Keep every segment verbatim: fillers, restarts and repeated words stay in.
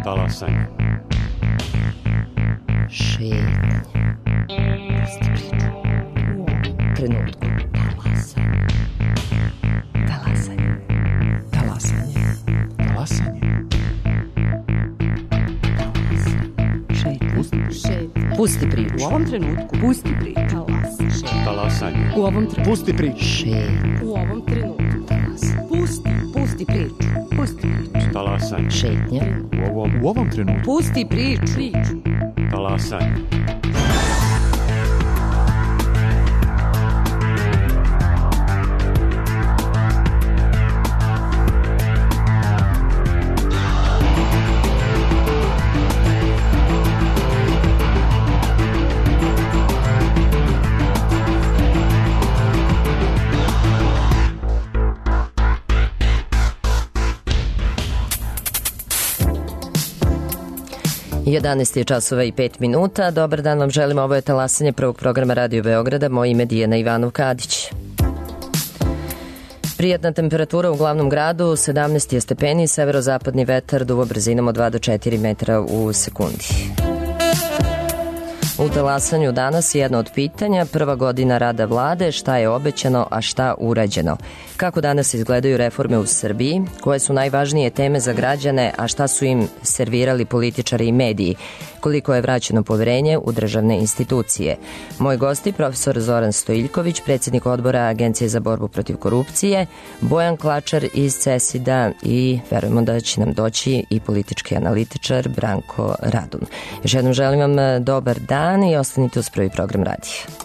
Talasanje. Šetnje. Pusti priču. U ovom trenutku. Talasanje. Talasanje. Talasanje. Talasanje. Pusti priču. U ovom trenutku. Pusti priču. Talasanje. U ovom trenutku. Pusti priču. Šetnje. U ovom trenutku. Talasanje. Pusti. Pusti priču. Pusti priču. Talasanje. Šetnje. U ovom, U ovom trenutku. Pusti priču. Priču. talasanje. jedanaest je časova i pet minuta. Dobar dan vam želimo. Ovo je talasanje prvog programa Radio Beograda. Moje ime je Dijana Ivanov-Kadić. Prijatna temperatura u glavnom gradu, sedamnaest je stepeni, severozapadni vetar duvo brzinom od dva do četiri metra u sekundi. U talasanju danas jedno od pitanja, prva godina rada vlade, šta je obećano, a šta urađeno. Kako danas izgledaju reforme u Srbiji, koje su najvažnije teme za građane, a šta su im servirali političari i mediji, koliko je vraćeno poverenje u državne institucije. Moj gosti, profesor Zoran Stojiljković, predsjednik odbora Agencije za borbu protiv korupcije, Bojan Klačar iz CESID-a i verujemo da će nam doći i politički analitičar Branko Radun. Još jednom želim vam dobar dan i ostanite uz prvi program radija.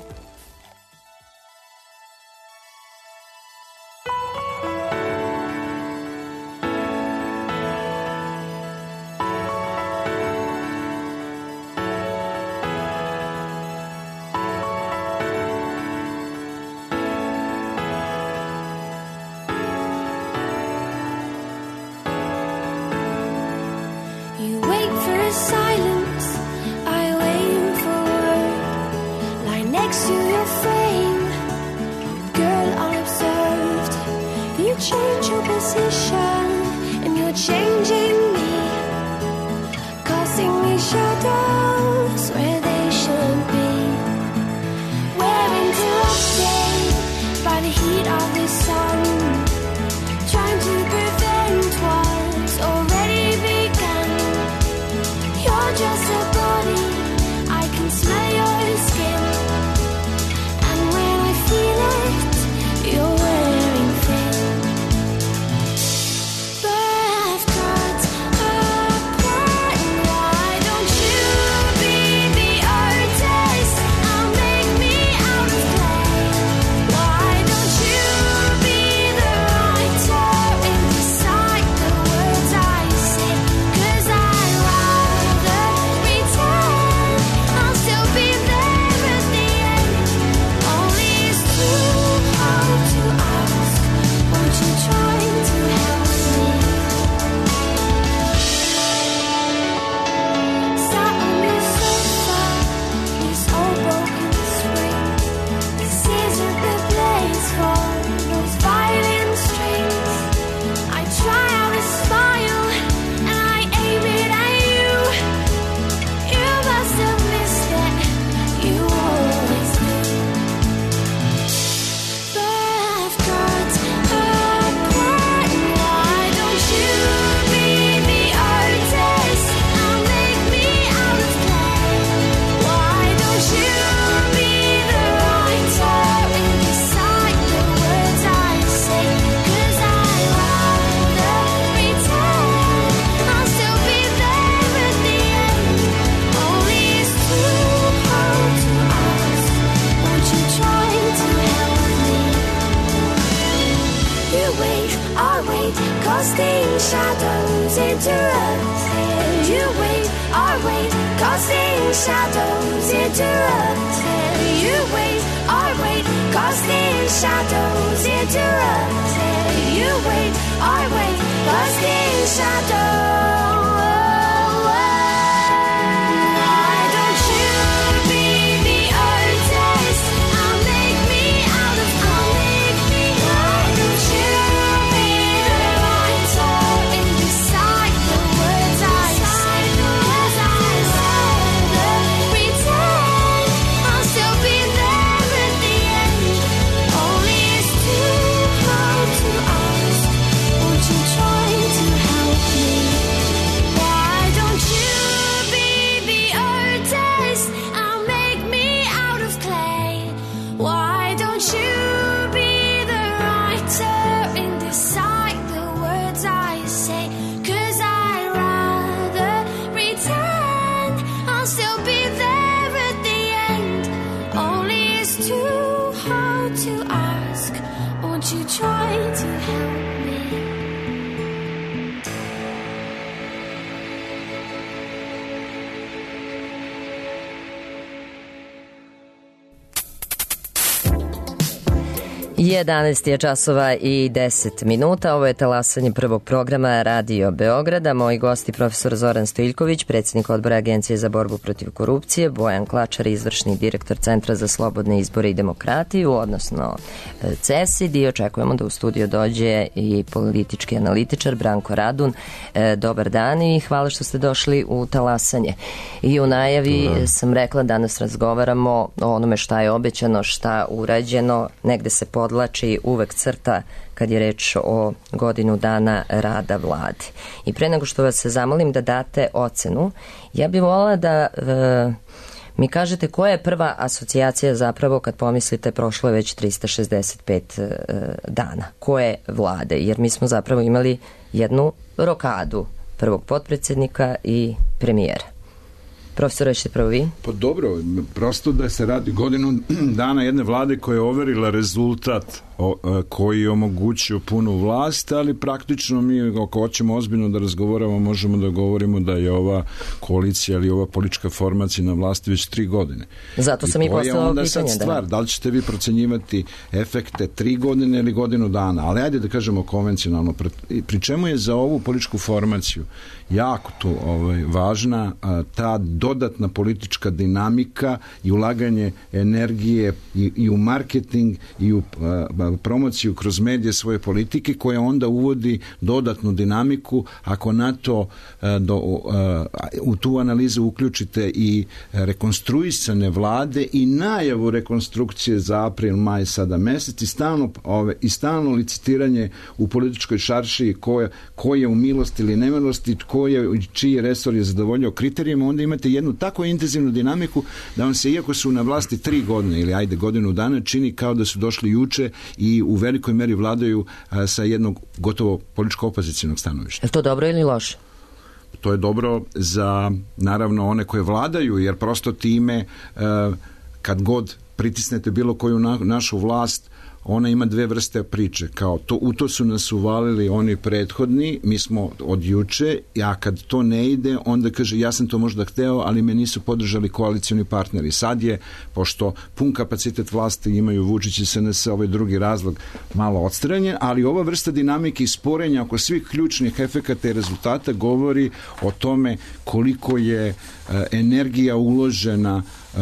you try to help me? jedanaest je časova i deset minuta. Ovo je talasanje prvog programa Radio Beograda. Moji gosti profesor Zoran Stojiljković, predsjednik odbora Agencije za borbu protiv korupcije, Bojan Klačar, izvršni direktor Centra za slobodne izbore i demokratiju, odnosno C E S I D, i očekujemo da u studio dođe i politički analitičar Branko Radun. Dobar dan i hvala što ste došli u talasanje. I u najavi Dobar. sam rekla, danas razgovaramo o onome šta je obećano, šta urađeno, negde se podlači uvek crta kad je reč o godinu dana rada vlade. I pre nego što vas se zamolim da date ocenu, ja bih voljela da e, mi kažete koja je prva asocijacija zapravo kad pomislite prošlo je već trista šezdeset pet e, dana. Koje vlade? Jer mi smo zapravo imali jednu rokadu prvog potpredsjednika i premijera. Profesor, ćete prvo vi? Pa dobro, prosto da se radi godinu dana jedne vlade koja je overila rezultat o, koji je omogućio punu vlast, ali praktično mi, ako hoćemo ozbiljno da razgovaramo, možemo da govorimo da je ova koalicija ili ova politička formacija na vlasti već tri godine. Zato sam i, i postavila pitanje. Onda sad stvar, da. da li ćete vi procenjivati efekte tri godine ili godinu dana, ali ajde da kažemo konvencionalno, pri čemu je za ovu političku formaciju jako tu ovaj, važna a, ta dodatna politička dinamika i ulaganje energije i, i u marketing i u a, promociju kroz medije svoje politike, koja onda uvodi dodatnu dinamiku. Ako na to a, do, a, u tu analizu uključite i rekonstruisane vlade i najavu rekonstrukcije za april, maj sada mesec i stalno, ove, i stalno licitiranje u političkoj šarši ko je, ko je u milosti ili nemilosti, ko je, čiji resor je zadovoljio kriterijima, onda imate jednu tako intenzivnu dinamiku da vam se, iako su na vlasti tri godine ili ajde godinu dana, čini kao da su došli juče i u velikoj meri vladaju a, sa jednog gotovo političko-opozicijnog stanovišta. Je to dobro ili loše? To je dobro za, naravno, one koje vladaju, jer prosto time a, kad god pritisnete bilo koju na, našu vlast, ona ima dve vrste priče, kao to, u to su nas uvalili oni prethodni, mi smo od juče, a kad to ne ide, onda kaže ja sam to možda hteo, ali me nisu podržali koalicioni partneri. Sad je, pošto pun kapacitet vlasti imaju Vučić i S N S, ovaj drugi razlog malo odstranjen, ali ova vrsta dinamike i sporenja oko svih ključnih efekata i rezultata govori o tome koliko je uh, energija uložena uh,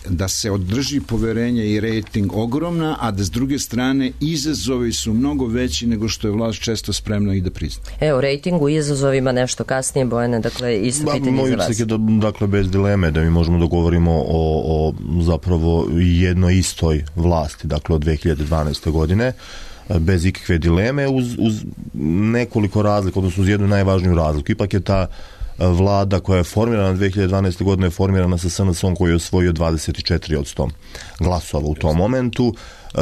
da se održi poverenje i rejting ogromna, a da s druge strane izazovi su mnogo veći nego što je vlast često spremna i da prizna. Evo, rejtingu i izazovima nešto kasnije, Bojane, dakle, isto ba, pitanje za vas. Da, dakle, bez dileme da mi možemo da govorimo o, o zapravo jednoj istoj vlasti, dakle, od dve hiljade dvanaeste. godine, bez ikakve dileme, uz, uz nekoliko razlika, odnosno uz jednu najvažniju razliku. Ipak je ta vlada koja je formirana dve hiljade dvanaeste. godine je formirana sa S N S-om koji je osvojio dvadeset četiri posto glasova u tom momentu. E,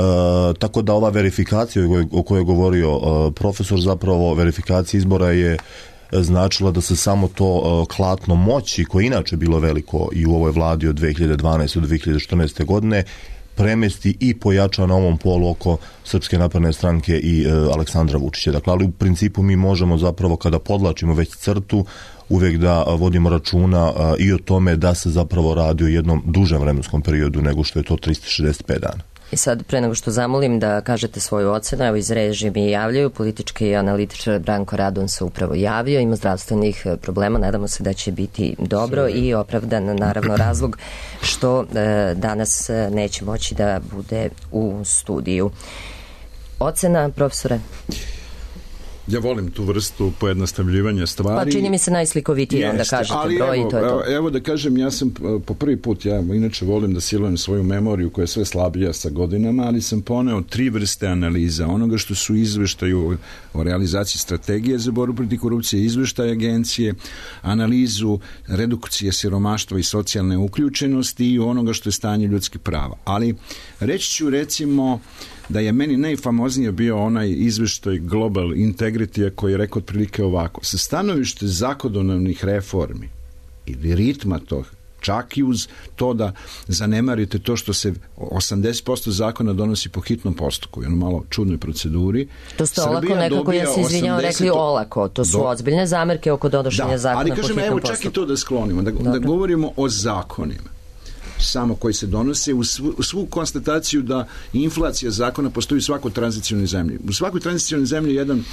tako da ova verifikacija o kojoj je govorio e, profesor, zapravo verifikacija izbora je značila da se samo to e, klatno moći, koje inače bilo veliko i u ovoj vladi od dve hiljade dvanaeste. do dve hiljade četrnaeste. godine, premesti i pojača na ovom polu oko Srpske napredne stranke i e, Aleksandra Vučića. Dakle, ali u principu mi možemo zapravo, kada podlačimo već crtu, uvek da vodimo računa a, i o tome da se zapravo radi o jednom dužem vremenskom periodu nego što je to trista šezdeset pet dana. I sad, pre nego što zamolim da kažete svoju ocenu, evo iz režije mi javljaju, politički analitičar Branko Radun se upravo javio, ima zdravstvenih problema, nadamo se da će biti dobro i opravdan naravno razlog što e, danas neće moći da bude u studiju. Ocena, profesore? Ja volim tu vrstu pojednostavljivanja stvari. Pa čini mi se najslikovitije, onda kažete broj i to je to. Evo da kažem, ja sam po prvi put, ja inače volim da silujem svoju memoriju koja je sve slabija sa godinama, ali sam poneo tri vrste analiza. Onoga što su izveštaju o realizaciji strategije za borbu protiv korupcije, izveštaj agencije, analizu redukcije siromaštva i socijalne uključenosti i onoga što je stanje ljudskih prava. Ali reći ću recimo da je meni najfamoznije bio onaj izveštaj Global Integrity koji je rekao otprilike ovako: sa stanovište zakonodavnih reformi ili ritma tog Čak i uz to da zanemarite to što se osamdeset posto zakona donosi po hitnom postupku, jedno malo čudnoj proceduri. To ste olako nekako, ja se izvinjam, rekli olako. To su do... ozbiljne zamerke oko donošenja da, zakona po hitnom postupku. Ali kažem, evo čak i to da sklonimo, da, da govorimo o zakonima samo koji se donose, u svu, u svu konstataciju da inflacija zakona postoji u svakoj tranzicionoj zemlji. U svakoj tranzicionoj zemlji jedan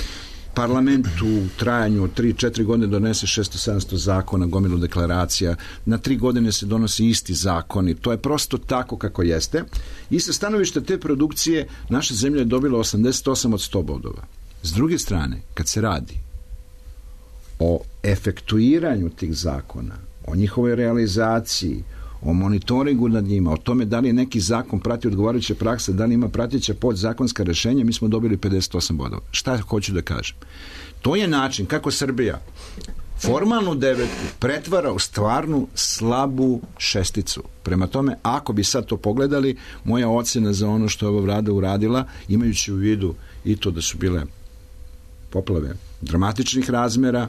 parlament u trajanju od tri četiri godine donese šesto sedamsto zakona, gomilu deklaracija, na tri godine se donosi isti zakoni, to je prosto tako kako jeste. I sa stanovišta te produkcije naša zemlja je dobila osamdeset osam od sto bodova. S druge strane, kad se radi o efektuiranju tih zakona, o njihovoj realizaciji, o monitoringu nad njima, o tome da li neki zakon prati odgovarajuće prakse, da li ima prateća podzakonska rešenja, mi smo dobili pedeset osam bodova. Šta hoću da kažem? To je način kako Srbija formalnu devetku pretvara u stvarnu slabu šesticu. Prema tome, ako bi sad to pogledali, moja ocena za ono što je ova vlada uradila, imajući u vidu i to da su bile poplave dramatičnih razmera,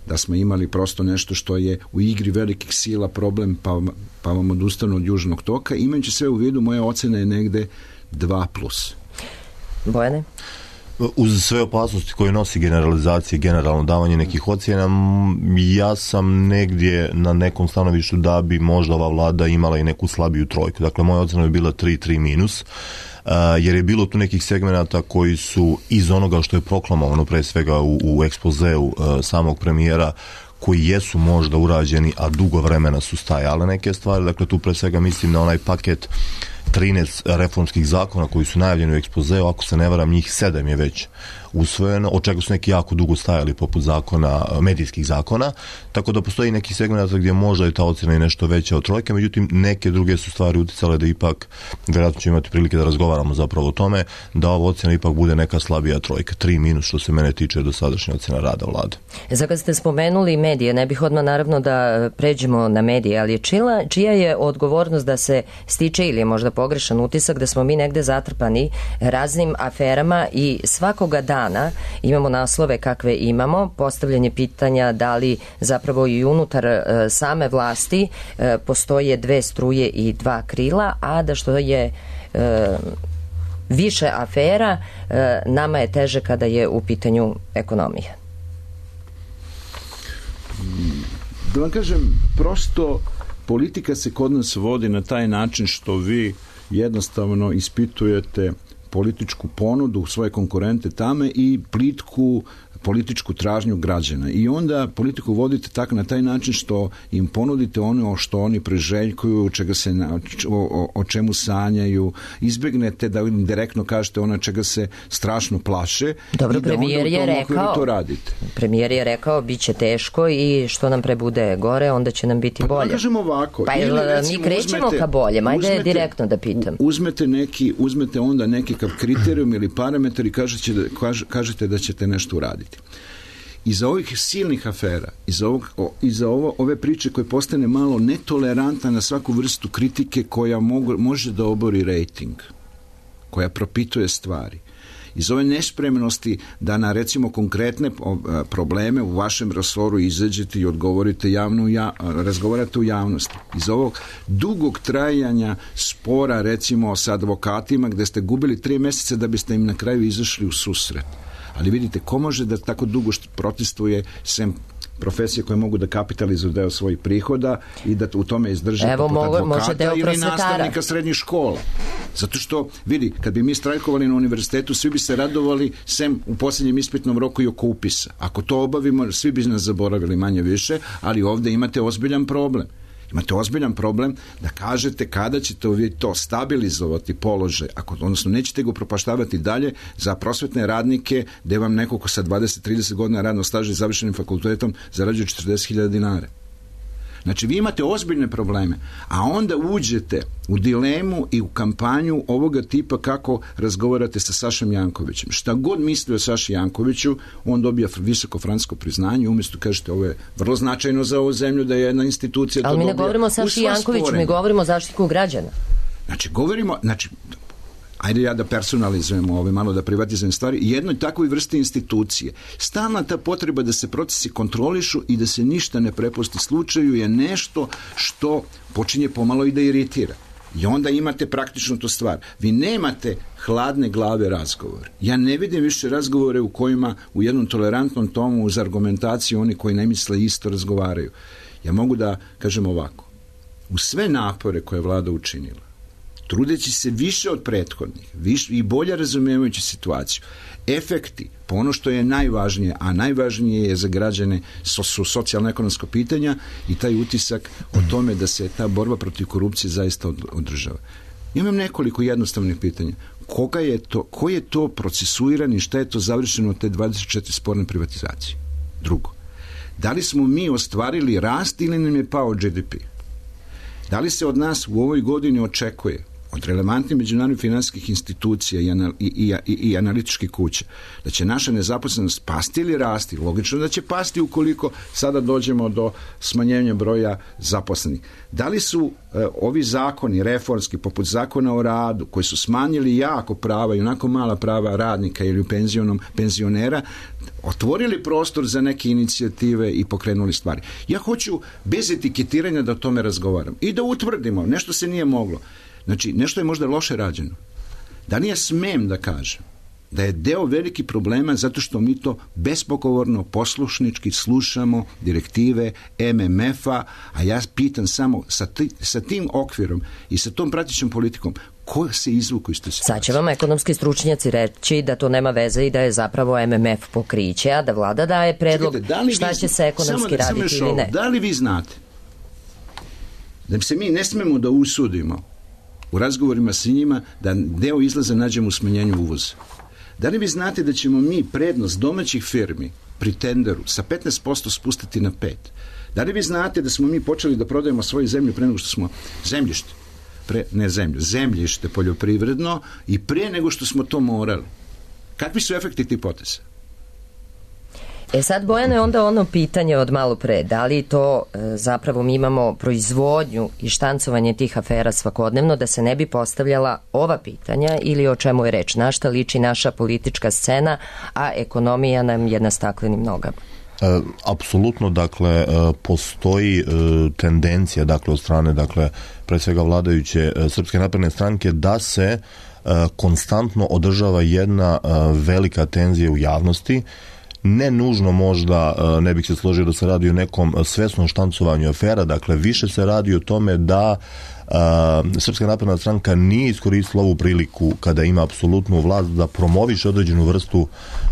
da smo imali prosto nešto što je u igri velikih sila problem, pa, pa vam odustanu od južnog toka. Imajući sve u vidu, moja ocena je negde dva plus. Bojane? Uz sve opasnosti koje nosi generalizacija, generalno davanje nekih ocjena, ja sam negdje na nekom stanovištu da bi možda ova vlada imala i neku slabiju trojku. Dakle, moja ocena bi bila tri tri minus. Uh, jer je bilo tu nekih segmenata koji su iz onoga što je proklamovano pre svega u, u ekspozeu uh, samog premijera, koji jesu možda urađeni, a dugo vremena su stajale neke stvari. Dakle, tu pre svega mislim na onaj paket trinaest reformskih zakona koji su najavljeni u ekspozeu, ako se ne varam, njih sedam je već usvojeno, od čega su neki jako dugo stajali poput zakona, medijskih zakona, tako da postoji neki segment gdje možda je ta ocjena i nešto veća od trojke, međutim neke druge su stvari uticale da ipak, vjerojatno ćemo imati prilike da razgovaramo zapravo o tome, da ova ocjena ipak bude neka slabija trojka, tri minus što se mene tiče do sadašnje ocjena rada vlade. Za kad ste spomenuli medije, ne bih odmah naravno da pređemo na medije, ali čila, čija je odgovornost da se stiče ili je možda pogrešan utisak da smo mi negde zatrpani raznim aferama i svakoga dana imamo naslove kakve imamo, postavljanje pitanja da li zapravo i unutar e, same vlasti e, postoje dve struje i dva krila, a da što je e, više afera, e, nama je teže kada je u pitanju ekonomija. Da vam kažem, prosto politika se kod nas vodi na taj način što vi jednostavno ispitujete političku ponudu, svoje konkurente tame i plitku političku tražnju građana. I onda politiku vodite tako na taj način što im ponudite ono što oni priželjkuju, čega se, o, o čemu sanjaju, izbegnete da im direktno kažete ono čega se strašno plaše. Dobro, i da premijer onda je rekao, to radite. Premijer je rekao bit će teško i što nam prebude gore, onda će nam biti pa, bolje. Pa kažemo ovako. Pa ili, recimo, mi krećemo uzmete, ka bolje, ajde uzmete, direktno da pitam. Uzmete, neki, uzmete onda nekakav kriterijum ili parametar i kažete da, kaž, kažete da ćete nešto uraditi. Iza ovih silnih afera, iza, ovog, o, iza ovo, ove priče koje postane malo netolerantna na svaku vrstu kritike koja mogu, može da obori rejting, koja propituje stvari, iz ove nespremnosti da na recimo konkretne probleme u vašem resoru izađete i odgovorite javno, ja, razgovarate u javnosti. Iz ovog dugog trajanja spora recimo sa advokatima gde ste gubili tri meseca da biste im na kraju izašli u susret. Ali vidite, ko može da tako dugo protestuje sem profesije koje mogu da kapitalizuju deo svojih prihoda i da u tome izdrže Evo, poput mogu, advokata ili nastavnika srednjih škola. Zato što, vidi, kad bi mi strajkovali na univerzitetu, svi bi se radovali sem u posljednjem ispitnom roku i oko upisa. Ako to obavimo, svi bi nas zaboravili manje više, ali ovde imate ozbiljan problem. Imate ozbiljan problem da kažete kada ćete vi to stabilizovati položaj, ako, odnosno nećete ga propaštavati dalje za prosvetne radnike gde vam neko ko sa dvadeset trideset godina radnog staža i završenim fakultetom zarađuje četrdeset hiljada dinara. Znači, vi imate ozbiljne probleme, a onda uđete u dilemu i u kampanju ovoga tipa kako razgovarate sa Sašom Jankovićem. Šta god misli o Saši Jankoviću, on dobija visoko francusko priznanje, umjesto kažete ovo je vrlo značajno za ovu zemlju da je jedna institucija to dobija. Ali mi ne govorimo o Saši Jankoviću, mi govorimo o Zaštitniku građana. Znači, govorimo, znači, ajde ja da personalizujem ove, malo da privatizujem stvari, jednoj takvoj vrsti institucije. Stalna ta potreba da se procesi kontrolišu i da se ništa ne prepusti slučaju je nešto što počinje pomalo i da iritira. I onda imate praktično tu stvar. Vi nemate hladne glave razgovor. Ja ne vidim više razgovore u kojima u jednom tolerantnom tomu uz argumentaciju oni koji ne misle isto razgovaraju. Ja mogu da kažem ovako. U sve napore koje je vlada učinila, trudeći se više od prethodnih više, i bolje razumijevajući situaciju, efekti, po ono što je najvažnije, a najvažnije je za građane so, su socijalno-ekonomsko pitanja i taj utisak o tome da se ta borba protiv korupcije zaista održava. Imam nekoliko jednostavnih pitanja. Koga je to, ko je to procesuiran i šta je to završeno od te dvadeset četiri sporne privatizacije? Drugo, da li smo mi ostvarili rast ili nam je pao G D P? Da li se od nas u ovoj godini očekuje od relevantnih međunarodnih finansijskih institucija i, anal, i, i, i, i analitičkih kuća da će naša nezaposlenost pasti ili rasti? Logično da će pasti ukoliko sada dođemo do smanjenja broja zaposlenih. Da li su e, ovi zakoni reformski, poput zakona o radu, koji su smanjili jako prava i onako mala prava radnika ili penzionom, penzionera, otvorili prostor za neke inicijative i pokrenuli stvari? Ja hoću bez etiketiranja da o tome razgovaram i da utvrdimo, nešto se nije moglo. Znači, nešto je možda loše rađeno. Da li ja smem da kažem da je deo veliki problema zato što mi to bespogovorno, poslušnički slušamo direktive M M F-a, a ja pitam samo sa, ti, sa tim okvirom i sa tom pratećom politikom ko se izvuku iz te situacije? Sad će vam ekonomski stručnjaci reći da to nema veze i da je zapravo M M F pokriće, a da vlada daje predlog. Čekajte, da šta vi, će se ekonomski samo, raditi samo ili ne. Da li vi znate da se mi ne smemo da usudimo u razgovorima s njima da deo izlaza nađemo u smanjenju uvoza? Da li vi znate da ćemo mi prednost domaćih firmi pri tenderu sa petnaest posto spustiti na pet? Da li vi znate da smo mi počeli da prodajemo svoju zemlju pre nego što smo zemljište, pre, ne zemlju, zemljište poljoprivredno i pre nego što smo to morali? Kakvi su efekti tih poteza? E sad, Bojane, onda ono pitanje od malo pre, da li to e, zapravo mi imamo proizvodnju i štancovanje tih afera svakodnevno da se ne bi postavljala ova pitanja ili o čemu je reč? Na šta liči naša politička scena, a ekonomija nam je na staklenim nogama? E, apsolutno, dakle, e, postoji e, tendencija, dakle, od strane, dakle, pre svega vladajuće e, Srpske napredne stranke da se e, konstantno održava jedna e, velika tenzija u javnosti. Ne nužno možda, ne bih se složio da se radi o nekom svesnom štancovanju afera, dakle više se radi o tome da a, Srpska napredna stranka nije iskoristila ovu priliku kada ima apsolutnu vlast da promoviše određenu vrstu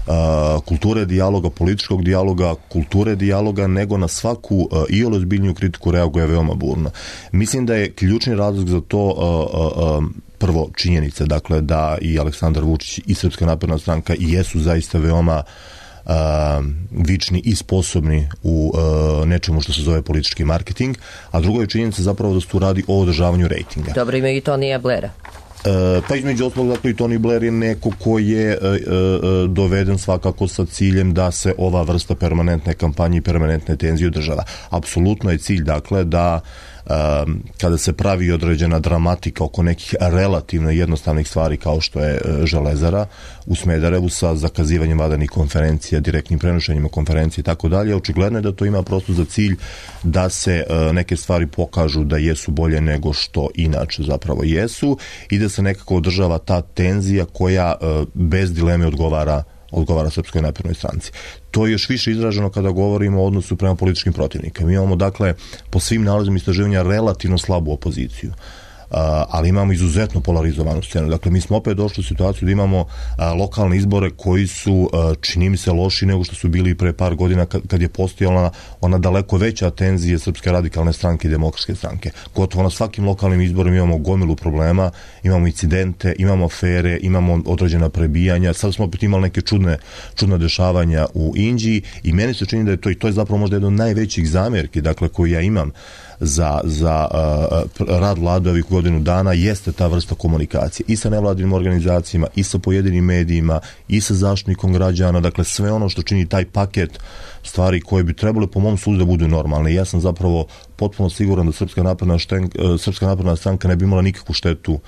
a, kulture dijaloga, političkog dijaloga, kulture dijaloga, nego na svaku a, i ozbiljniju kritiku reaguje veoma burno. Mislim da je ključni razlog za to a, a, a, prvo činjenica, dakle da i Aleksandar Vučić i Srpska napredna stranka jesu zaista veoma Uh, vični i sposobni u uh, nečemu što se zove politički marketing, a drugo je činjenica zapravo da se tu radi o održavanju rejtinga. Dobro, ima i Tonija Blaira. Uh, pa između ostalog, dakle, i Tony Blair je neko ko je uh, uh, doveden svakako sa ciljem da se ova vrsta permanentne kampanje i permanentne tenzije održava. Apsolutno je cilj, dakle, da Um, kada se pravi određena dramatika oko nekih relativno jednostavnih stvari kao što je uh, Železara u Smederevu sa zakazivanjem vanrednih konferencija, direktnim prenošenjima konferencije i tako dalje, očigledno je da to ima prosto za cilj da se uh, neke stvari pokažu da jesu bolje nego što inače zapravo jesu i da se nekako održava ta tenzija koja uh, bez dileme odgovara odgovara Srpskoj naprednoj stranci. To je još više izraženo kada govorimo o odnosu prema političkim protivnikama. Mi imamo, dakle, po svim nalazima istraživanja relativno slabu opoziciju. Uh, ali imamo izuzetno polarizovanu scenu. Dakle, mi smo opet došli u situaciju da imamo uh, lokalne izbore koji su, uh, čini mi se, loši nego što su bili pre par godina kad, kad je postojala ona daleko veća tenzija Srpske radikalne stranke i Demokratske stranke. Gotovo na svakim lokalnim izborima imamo gomilu problema, imamo incidente, imamo afere, imamo određena prebijanja. Sad smo opet imali neke čudne, čudne dešavanja u Inđiji i meni se čini da je to, i to je zapravo možda jedno od najvećih zamjerki, dakle, koju ja imam za, za uh, rad vlade ovih godinu dana, jeste ta vrsta komunikacije i sa nevladinim organizacijama, i sa pojedinim medijima, i sa zaštitnikom građana, dakle sve ono što čini taj paket stvari koje bi trebalo po mom sudu da budu normalne. I ja sam zapravo potpuno siguran da Srpska napredna, šten, Srpska napredna stranka ne bi imala nikakvu štetu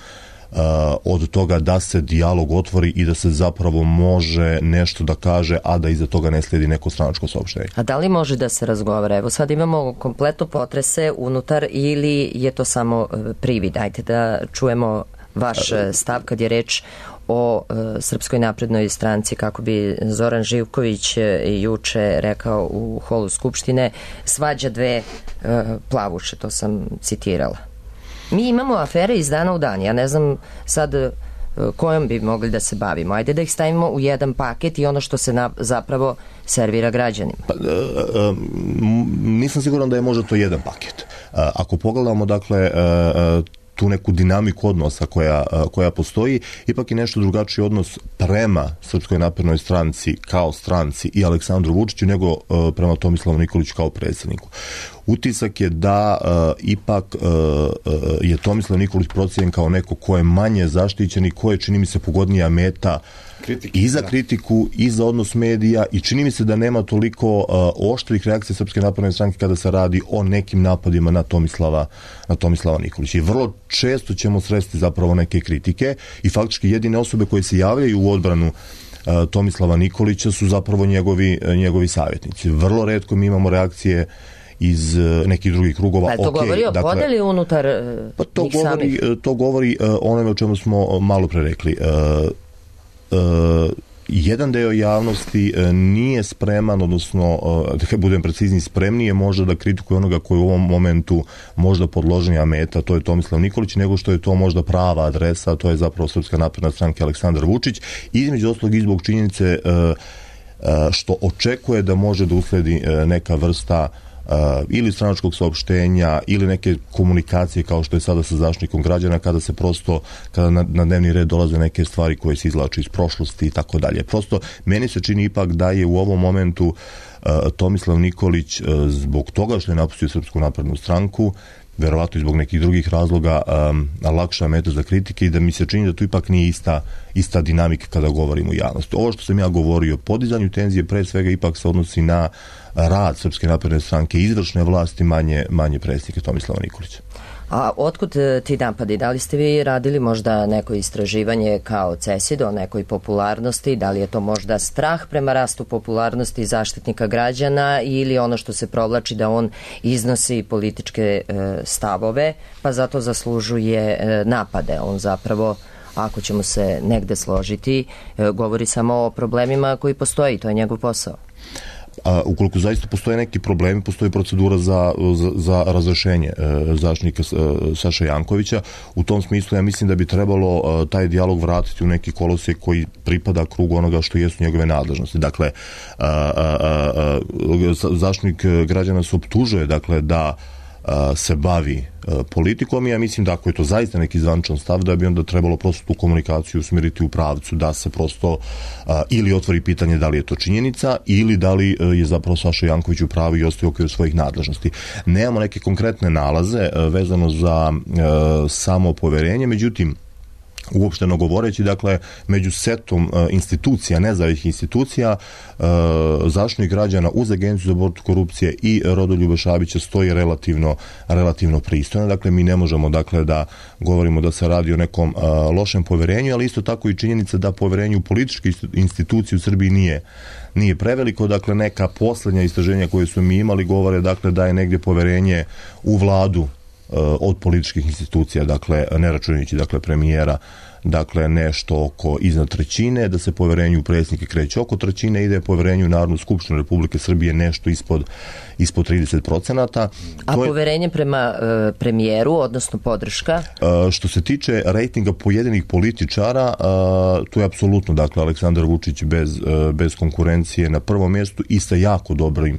od toga da se dijalog otvori i da se zapravo može nešto da kaže, a da iza toga ne slijedi neko stranačko saopštenje. A da li može da se razgovara? Evo sad imamo kompletno potrese unutar ili je to samo privid? Ajde da čujemo vaš stav kad je reč o e, Srpskoj naprednoj stranci, kako bi Zoran Živković e, juče rekao u holu Skupštine, svađa dve e, plavuše, to sam citirala. Mi imamo afere iz dana u dan, ja ne znam sad e, kojom bi mogli da se bavimo. Ajde da ih stavimo u jedan paket i ono što se na, zapravo servira građanima. Pa, e, e, nisam siguran da je možda to jedan paket. E, ako pogledamo, dakle, e, tu neku dinamiku odnosa koja, koja postoji, ipak je nešto drugačiji odnos prema Srpskoj naprednoj stranci kao stranci i Aleksandru Vučiću nego prema Tomislavu Nikoliću kao predsjedniku. Utisak je da uh, ipak uh, uh, je Tomislav Nikolić procijenjen kao neko ko je manje zaštićen i ko je, čini mi se, pogodnija meta Kritike, i za da. kritiku i za odnos medija i čini mi se da nema toliko uh, oštrih reakcija Srpske napredne stranke kada se radi o nekim napadima na Tomislava, na Tomislava Nikolića. I vrlo često ćemo sresti zapravo neke kritike i faktički jedine osobe koje se javljaju u odbranu uh, Tomislava Nikolića su zapravo njegovi, uh, njegovi savjetnici. Vrlo retko mi imamo reakcije iz nekih drugih krugova. Pa to okay, govori o dakle, podeli unutar pa to njih govori, samih? To govori uh, onome o čemu smo malo pre rekli. Uh, uh, jedan deo javnosti uh, nije spreman, odnosno, uh, da budem precizni, spremnije možda da kritikuje onoga koji u ovom momentu možda podloženja meta, to je Tomislav Nikolić, nego što je to možda prava adresa, to je zapravo Srpska napredna stranka Aleksandar Vučić, između ostalog i zbog činjenice uh, uh, što očekuje da može da usledi uh, neka vrsta Uh, ili stranačkog saopštenja ili neke komunikacije kao što je sada sa Zaštitnikom građana kada se prosto, kada na, na dnevni red dolaze neke stvari koje se izvlače iz prošlosti i tako dalje. Prosto meni se čini ipak da je u ovom momentu uh, Tomislav Nikolić uh, zbog toga što je napustio Srpsku naprednu stranku, verovatno i zbog nekih drugih razloga, um, lakša meta za kritike i da mi se čini da tu ipak nije ista, ista dinamika kada govorimo u javnosti. Ovo što sam ja govorio o podizanju tenzije pre svega ipak se odnosi na rad Srpske napredne stranke, izvršne vlasti, manje, manje predsjednike Tomislava Nikolića. A otkud ti napadi? Da li ste vi radili možda neko istraživanje kao CESID o nekoj popularnosti? Da li je to možda strah prema rastu popularnosti Zaštitnika građana ili ono što se provlači da on iznosi političke e, stavove, pa zato zaslužuje e, napade? On zapravo, ako ćemo se negde složiti, e, govori samo o problemima koji postoji, to je njegov posao. A ukoliko zaista postoje neki problemi, postoji procedura za, za, za razrešenje e, zaštitnika e, Saše Jankovića. U tom smislu ja mislim da bi trebalo e, taj dijalog vratiti u neki kolosijek koji pripada krugu onoga što jesu njegove nadležnosti. Dakle, a, a, a, a, zaštitnik građana se optužuje, dakle, da a, se bavi politikom i ja mislim da ako je to zaista neki zvančan stav, da bi onda trebalo prosto tu komunikaciju usmjeriti u pravcu da se prosto a, ili otvori pitanje da li je to činjenica ili da li a, je zapravo Saša Janković u pravu i ostaje u okviru svojih nadležnosti. Nemamo neke konkretne nalaze a, vezano za a, samo poverenje, međutim uopšteno govoreći, dakle, među setom uh, institucija, nezavisnih institucija, uh, Zaštitnik građana uz Agenciju za borbu protiv korupcije i Rodoljuba Šabića stoji relativno, relativno pristojno. Dakle, mi ne možemo, dakle, da govorimo da se radi o nekom uh, lošem poverenju, ali isto tako i činjenica da poverenje u političke institucije u Srbiji nije nije preveliko. Dakle, neka posljednja istraženja koje su mi imali govore, dakle, da je negdje poverenje u vladu od političkih institucija, dakle, ne računajući, dakle, premijera, dakle, nešto oko iznad trećine, da se poverenju u predsjednike kreće oko trećine i da je poverenju u Narodnu skupštinu Republike Srbije nešto ispod, ispod trideset procenata. A to je, poverenje prema e, premijeru, odnosno podrška? E, što se tiče rejtinga pojedinih političara, e, to je apsolutno, dakle, Aleksandar Vučić bez, e, bez konkurencije na prvom mjestu i sa jako dobrim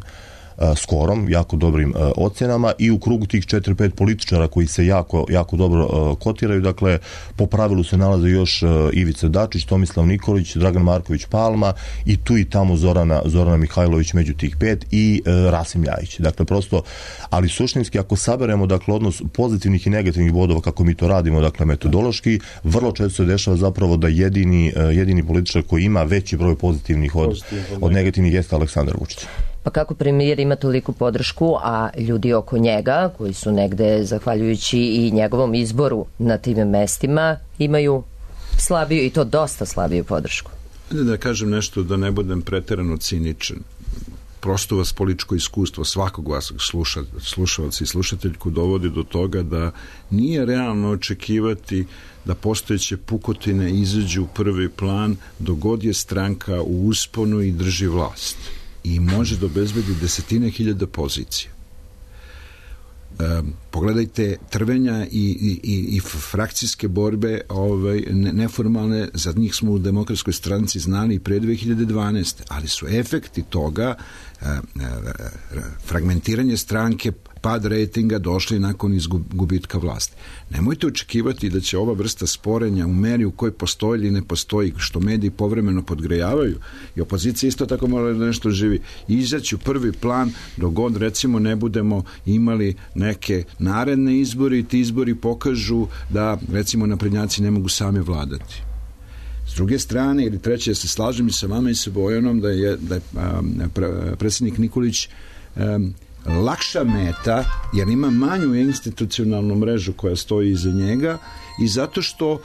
skorom, jako dobrim uh, ocjenama i u krugu tih četiri pet političara koji se jako, jako dobro uh, kotiraju, dakle, po pravilu se nalaze još uh, Ivica Dačić, Tomislav Nikolić, Dragan Marković Palma i tu i tamo Zorana, Zorana Mihajlović među tih pet i uh, Rasim Ljajić. Dakle, prosto, ali suštinski ako saberemo, dakle, odnos pozitivnih i negativnih bodova kako mi to radimo, dakle, metodološki, vrlo često se dešava zapravo da jedini, uh, jedini političar koji ima veći broj pozitivnih od, od negativnih jeste Aleksandar Vučić. Pa kako premijer ima toliku podršku, a ljudi oko njega, koji su negde, zahvaljujući i njegovom izboru na tim mestima, imaju slabiju, i to dosta slabiju podršku? Da kažem nešto, da ne budem preterano ciničan. Prosto vas političko iskustvo svakog vas sluša, slušalca i slušateljku dovodi do toga da nije realno očekivati da postojeće pukotine izađu u prvi plan dok god je stranka u usponu i drži vlast i može da obezbedi desetine hiljada pozicija. E, pogledajte trvenja i, i, i frakcijske borbe ovaj, ne, neformalne, za njih smo u Demokratskoj stranci znali i pre dve hiljade dvanaeste. Ali su efekti toga e, e, fragmentiranje stranke, pad rejtinga došli nakon izgubitka vlasti. Nemojte očekivati da će ova vrsta sporenja u meri u kojoj postoji ili ne postoji, što mediji povremeno podgrejavaju i opozicija isto tako mora da nešto živi, izaći u prvi plan dok god recimo ne budemo imali neke naredne izbori i ti izbori pokažu da recimo naprednjaci ne mogu sami vladati. S druge strane, ili treće, ja se slažem i sa vama i sa Bojanom da je, da je a, predsjednik Nikolić a, lakša meta, jer ima manju institucionalnu mrežu koja stoji iza njega i zato što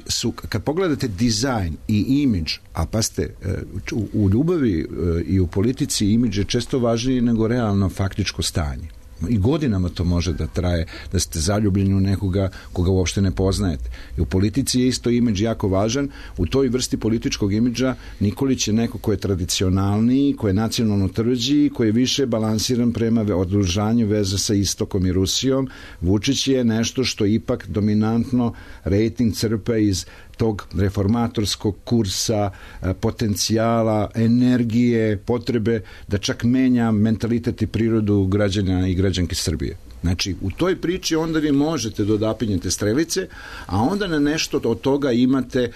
su, kad pogledate dizajn i imidž, a pa ste u, u ljubavi i u politici imidž je često važniji nego realno faktičko stanje. I godinama to može da traje, da ste zaljubljeni u nekoga koga uopšte ne poznajete. I u politici je isto imidž jako važan. U toj vrsti političkog imidža Nikolić je neko ko je tradicionalniji, ko je nacionalno tvrđi, ko je više balansiran prema odružanju veza sa Istokom i Rusijom. Vučić je nešto što ipak dominantno rejting crpe iz tog reformatorskog kursa, potencijala, energije, potrebe da čak menja mentalitet i prirodu građana i građanke Srbije. Znači, u toj priči onda vi možete da odapinjete strelice, a onda na nešto od toga imate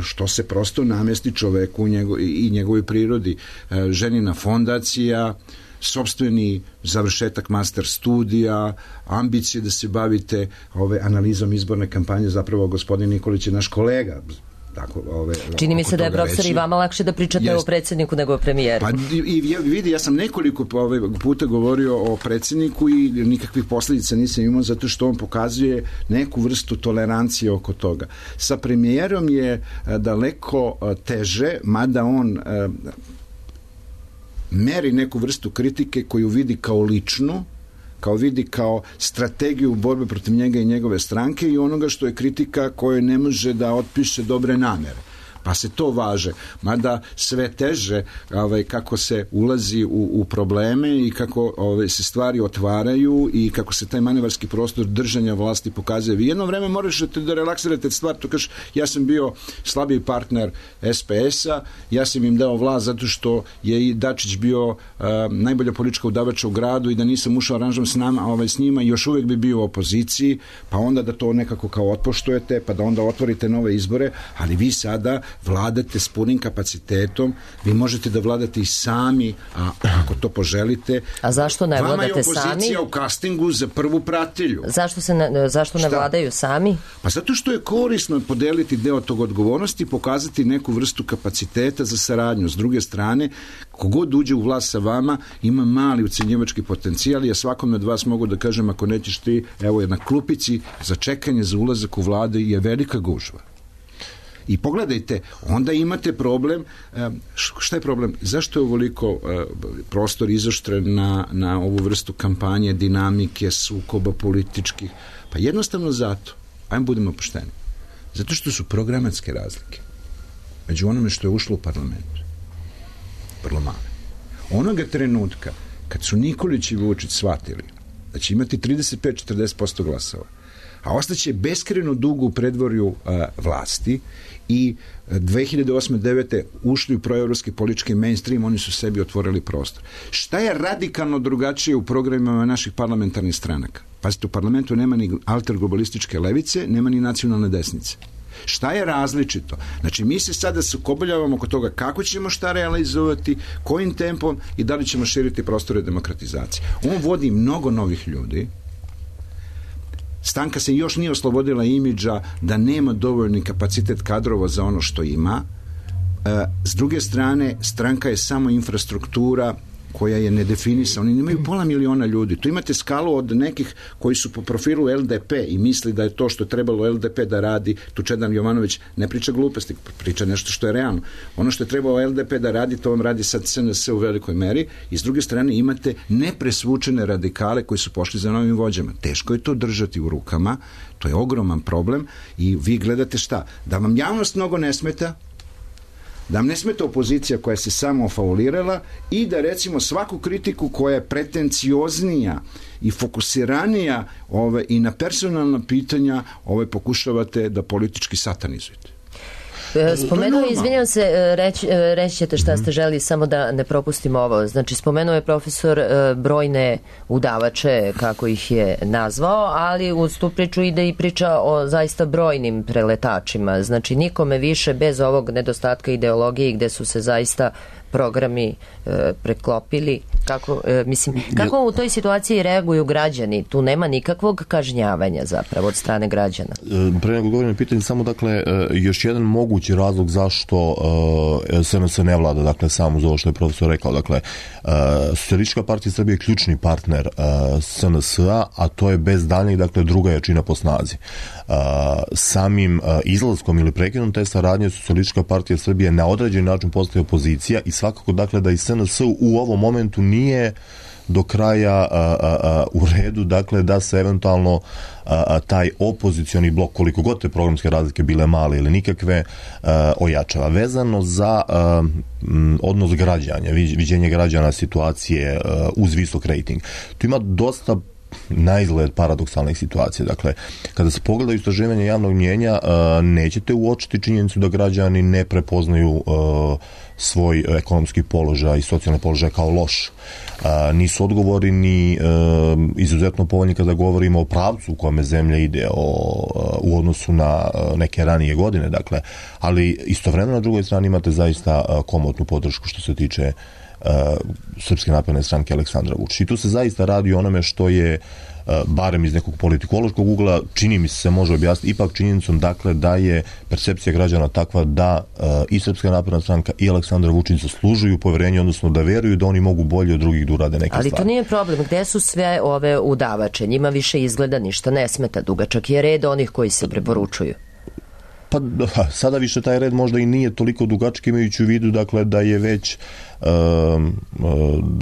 što se prosto namesti čoveku i njegovoj prirodi. Ženina fondacija, sopstveni završetak master studija, ambicije da se bavite ove analizom izborne kampanje, zapravo gospodin Nikolić je naš kolega. Tako, ove, čini mi se da je profesor i vama lakše da pričate jest. O predsjedniku nego o premijeru. Pa i, i vidi, ja sam nekoliko ove, puta govorio o predsjedniku i nikakvih posljedica nisam imao zato što on pokazuje neku vrstu tolerancije oko toga. Sa premijerom je daleko teže, mada on meri neku vrstu kritike koju vidi kao ličnu, kao vidi kao strategiju borbe protiv njega i njegove stranke i onoga što je kritika koje ne može da otpiše dobre namere. Pa se to važe, mada sve teže ovaj, kako se ulazi u, u probleme i kako ovaj, se stvari otvaraju i kako se taj manevarski prostor držanja vlasti pokazuje. Vi jedno vreme možete da relaksirate stvar, to kažeš, ja sam bio slabiji partner es pe es-a, ja sam im dao vlast zato što je i Dačić bio uh, najbolja politička udavača u gradu i da nisam ušao aranžom s nama, ovaj, s njima, još uvijek bi bio u opoziciji, pa onda da to nekako kao otpoštujete, pa da onda otvorite nove izbore, ali vi sada vladate s punim kapacitetom, vi možete da vladate i sami, a ako to poželite. A zašto ne vladate sami? Vama je opozicija u castingu za prvu pratilju. Zašto, se ne, zašto ne vladaju sami? Pa zato što je korisno podeliti deo tog odgovornosti i pokazati neku vrstu kapaciteta za saradnju. S druge strane, kogod uđe u vlast sa vama ima mali ucenjivački potencijal. Ja svakome od vas mogu da kažem, ako nećeš ti, evo je na klupici za čekanje za ulazak u vladu je velika gužva. I pogledajte, onda imate problem, šta je problem? Zašto je ovoliko prostor izoštren na, na ovu vrstu kampanje, dinamike, sukoba političkih? Pa jednostavno zato, ajmo budemo pošteni, zato što su programatske razlike među onome što je ušlo u parlamentu vrlo male. Onoga trenutka kad su Nikolić i Vučić shvatili da će imati trideset pet do četrdeset posto glasova, a ostaće beskrajno dugo u predvorju uh, vlasti i dve hiljade osme do devete ušli u proevropski politički mainstream, oni su sebi otvorili prostor. Šta je radikalno drugačije u programima naših parlamentarnih stranaka? Pazite, u parlamentu nema ni alterglobalističke levice, nema ni nacionalne desnice. Šta je različito? Znači, mi se sada sukobljavamo oko toga kako ćemo šta realizovati, kojim tempom i da li ćemo širiti prostore demokratizacije. On vodi mnogo novih ljudi. Stranka se još nije oslobodila imidža da nema dovoljni kapacitet kadrova za ono što ima. E, s druge strane, stranka je samo infrastruktura koja je nedefinisana. Oni nemaju pola miliona ljudi. Tu imate skalu od nekih koji su po profilu L D P i misli da je to što je trebalo L D P da radi, tu Čedan Jovanović ne priča gluposti, priča nešto što je realno. Ono što je trebalo L D P da radi, to vam radi sad S N S u velikoj meri, i s druge strane imate nepresvučene radikale koji su pošli za novim vođama. Teško je to držati u rukama, to je ogroman problem i vi gledate šta? Da vam javnost mnogo ne smeta, da vam ne smeta opozicija koja se samo faulirala i da recimo svaku kritiku koja je pretencioznija i fokusiranija ove, i na personalna pitanja ove pokušavate da politički satanizujete. Spomenuo, izvinjam se, reći, reći ćete šta ste želi, samo da ne propustimo ovo. Znači, spomenuo je profesor brojne udavače, kako ih je nazvao, ali uz tu priču ide i priča o zaista brojnim preletačima. Znači, nikome više bez ovog nedostatka ideologije gde su se zaista programi e, preklopili. Kako, e, mislim, kako u toj situaciji reaguju građani? Tu nema nikakvog kažnjavanja zapravo od strane građana. Pre nego govorim na pitanje, samo dakle, još jedan mogući razlog zašto S N S ne vlada, dakle, samo uz ovo što je profesor rekao. Dakle, Socijalistička partija Srbije je ključni partner S N S-a, a to je bez daljnjeg, dakle, druga jačina po snazi. Samim izlaskom ili prekinom te saradnje Socijalistička partija Srbije na određeni način postaje opozicija i svakako, dakle, da i S N S u ovom momentu nije do kraja a, a, a, u redu, dakle, da se eventualno a, a, taj opozicioni blok, koliko god te programske razlike bile male ili nikakve, a, ojačava. Vezano za a, m, odnos građanja, viđenje građana situacije a, uz visok rejting. Tu ima dosta na izgled paradoksalnih situacija. Dakle, kada se pogledaju istraživanja javnog mnijenja, nećete uočiti činjenicu da građani ne prepoznaju svoj ekonomski položaj i socijalni položaj kao loš. Nisu odgovori ni izuzetno povoljni kada govorimo o pravcu u kome zemlja ide o, u odnosu na neke ranije godine. Dakle, ali istovremeno na drugoj strani imate zaista komotnu podršku što se tiče Uh, Srpske napredne stranke Aleksandra Vučića. I tu se zaista radi o onome što je uh, barem iz nekog politikološkog ugla, čini mi se može objasniti ipak činjenicom, dakle, da je percepcija građana takva da uh, i Srpska napredna stranka i Aleksandar Vučić zaslužuju poverenje, odnosno da veruju da oni mogu bolje od drugih da urade neke Ali stvari. Ali to nije problem. Gde su sve ove udavače? Njima više izgleda ništa ne smeta. Dugačak je red onih koji se preporučuju. Pa sada više taj red možda i nije toliko dugački, imajući u vidu, dakle, da je već um,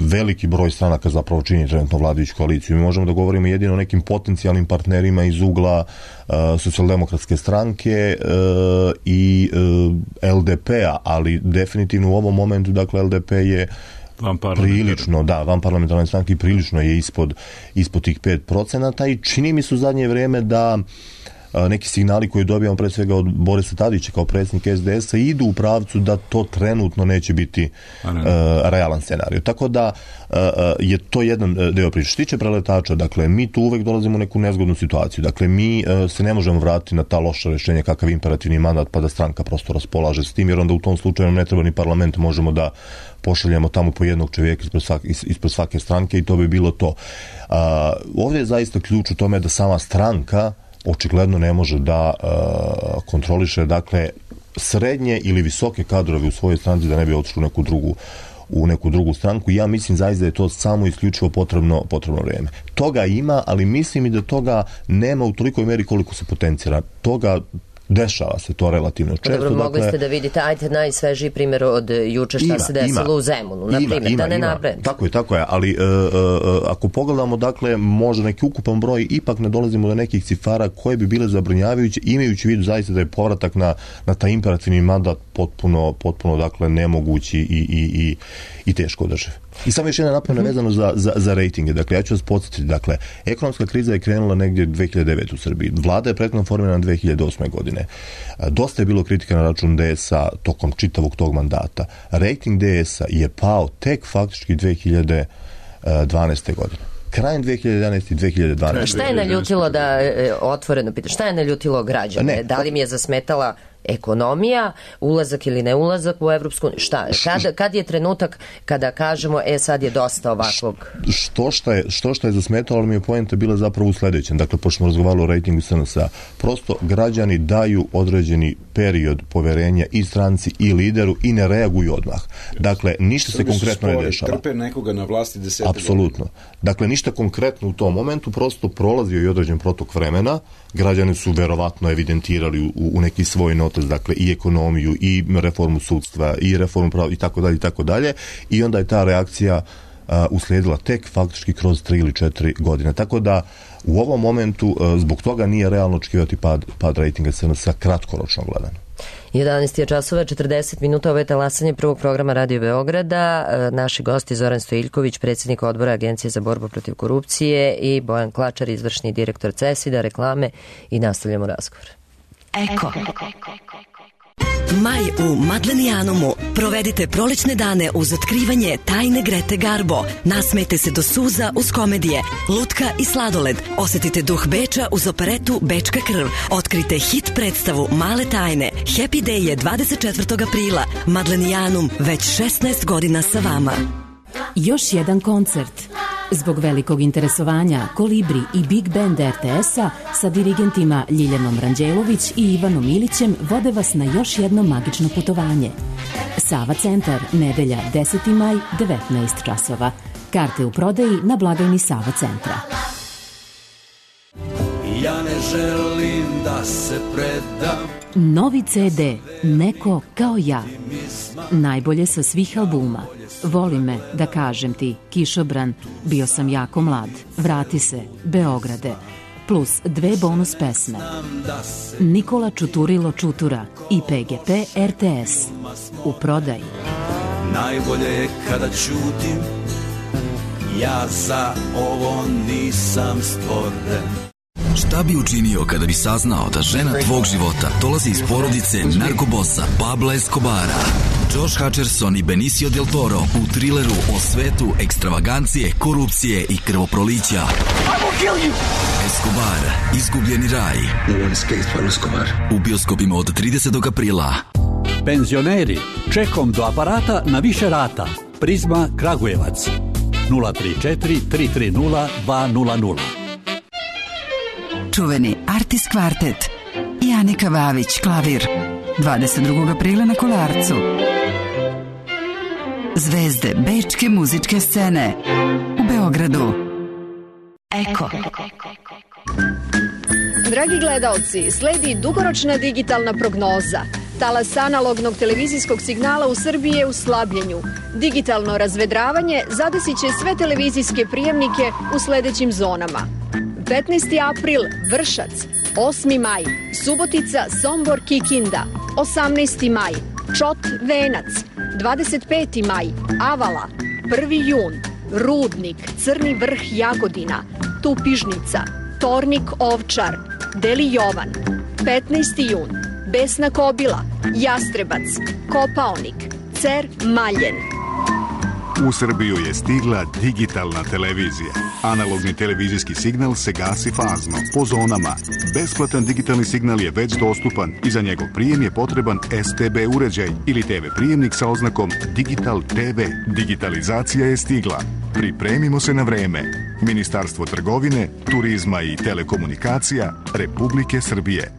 veliki broj stranaka zapravo čini trenutno vladajuću koaliciju. Mi možemo da govorimo jedino o nekim potencijalnim partnerima iz ugla uh, socijaldemokratske stranke uh, i uh, L D P-a, ali definitivno u ovom momentu, dakle, L D P je prilično, da, van parlamentarne stranke prilično je ispod, ispod tih pet procenata i čini mi se u zadnje vrijeme da neki signali koje dobijamo pre svega od Borisa Tadića kao predsjednik S D S-a idu u pravcu da to trenutno neće biti uh, realan scenarij. Tako da uh, je to jedan deo priče. Što tiče preletača, dakle, mi tu uvek dolazimo u neku nezgodnu situaciju. Dakle, mi uh, se ne možemo vratiti na ta loša rešenja kakav imperativni mandat pa da stranka prosto raspolaže s tim, jer onda u tom slučaju ne treba ni parlament, možemo da pošaljemo tamo po jednog čovjeka ispred svake, ispred svake stranke i to bi bilo to. Uh, ovdje je zaista ključ u tome da sama stranka očigledno ne može da uh, kontroliše, dakle, srednje ili visoke kadrove u svojoj stranci da ne bi otišli u neku drugu u neku drugu stranku. Ja mislim zaista da je to samo isključivo potrebno, potrebno vrijeme. Toga ima, ali mislim i da toga nema u tolikoj meri koliko se potencira. Toga dešava se to relativno često. Dobro, mogli dakle, ste da vidite, ajte najsvežiji primjer od juče šta ima, se desilo ima, u Zemunu, na primjer, ima, da ne ima. nabrem. Tako je, tako je, ali uh, uh, ako pogledamo, dakle, možda neki ukupan broj, ipak ne dolazimo do nekih cifara koje bi bile zabrinjavajuće, imajući vidu zaista da je povratak na, na taj imperativni mandat potpuno, potpuno, dakle, nemogući i, i, i, i teško održiv. I samo još jedna napomena vezano za, za, za rejtinge. Dakle, ja ću vas podsjetiti, dakle, ekonomska kriza je krenula negdje dve hiljade devete u Srbiji. Vlada je prethodno formirana dve hiljade osme godine. Dosta je bilo kritika na račun D S-a tokom čitavog tog mandata. Rejting D S-a je pao tek faktički dve hiljade dvanaeste godine. Krajem dve hiljade jedanaeste i dve hiljade dvanaeste. Šta je naljutilo da, otvoreno pitam, šta je naljutilo građane? Ne, da li mi je zasmetala ekonomija, ulazak ili ne ulazak u Evropsku uniju? Šta? Kad, kad je trenutak kada kažemo, e sad je dosta ovakvog? Što šta je, što šta je zasmetalo, ali mi je poenta bila zapravo u sledećem. Dakle, pošto smo razgovarali o rejtingu S N S A, prosto građani daju određeni period poverenja i stranci i lideru i ne reaguju odmah. Dakle, ništa se konkretno ne dešava. Trpe nekoga na vlasti desete Apsolutno. Dakle, ništa konkretno u tom momentu, prosto prolazio i određen protok vremena, građani su verovatno evidentirali u, u neki svoj notes, dakle, i ekonomiju, i reformu sudstva, i reformu prava, i tako dalje, i tako dalje, i onda je ta reakcija uh, uslijedila tek faktički kroz tri ili četiri godine. Tako da, u ovom momentu, uh, zbog toga nije realno očekivati pad, pad rejtinga S N S A kratkoročno gledano. jedanaest je časova, četrdeset minuta, ovo je talasanje prvog programa Radio Beograda. Naši gosti Zoran Stojiljković, predsjednik odbora Agencije za borbu protiv korupcije, i Bojan Klačar, izvršni direktor CESID-a, reklame, i nastavljamo razgovor. Eko. Maj u Madlenijanumu. Provedite prolećne dane uz otkrivanje tajne Grete Garbo. Nasmejte se do suza uz komedije, lutka i sladoled. Osetite duh Beča uz operetu Bečka krv. Otkrite hit predstavu Male tajne. Happy Day je dvadeset četvrtog aprila. Madlenijanum već šesnaest godina sa vama. Još jedan koncert. Zbog velikog interesovanja, Kolibri i Big Band R T S-a sa dirigentima Ljiljanom Ranđelović i Ivanom Ilićem vode vas na još jedno magično putovanje. Sava centar, nedelja deseti maj, devetnaest časova. Karte u prodaji na blagajni Sava centra. Ja ne želim da se predam. Novi C D, Neko kao ja. Najbolje sa svih albuma. Voli me, da kažem ti, Kišobran, Bio sam jako mlad, Vrati se, Beograde, plus dve bonus pesme. Nikola Čuturilo Čutura i P G P R T S. U prodaji. Najbolje je kada ćutim, ja za ovo nisam stvoren. Šta bi učinio kada bi saznao da žena tvog života dolazi iz porodice narkobosa Pabla Escobara? Josh Hutcherson i Benicio del Toro u trileru o svetu ekstravagancije, korupcije i krvoprolića. Escobar, izgubljeni raj. U bioskopima od tridesetog aprila. Penzioneri, čekom do aparata na više rata. Prizma Kragujevac. nula tri četiri tri tri nula dva nula nula. Čuveni Artis kvartet i Anika Vavić, klavir. dvadeset drugog aprila na Kolarcu. Zvezde bečke muzičke scene u Beogradu. Eko. Dragi gledaoci, sledi dugoročna digitalna prognoza. Talas analognog televizijskog signala u Srbiji je u slabljenju. Digitalno razvedravanje zadesit će sve televizijske prijemnike u sledećim zonama. petnaesti april, Vršac. osmi maj, Subotica, Sombor, Kikinda. osamnaesti maj, Čot, Venac. dvadeset peti maj, Avala. prvi jun, Rudnik, Crni vrh, Jagodina. Tupižnica, Tornik, Ovčar. Deli Jovan. petnaesti jun, Besna Kobila, Jastrebac, Kopaonik, Cer, Maljen. U Srbiju je stigla digitalna televizija. Analogni televizijski signal se gasi fazno, po zonama. Besplatan digitalni signal je već dostupan i za njegov prijem je potreban S T B uređaj ili T V prijemnik sa oznakom Digital T V. Digitalizacija je stigla. Pripremimo se na vreme. Ministarstvo trgovine, turizma i telekomunikacija Republike Srbije.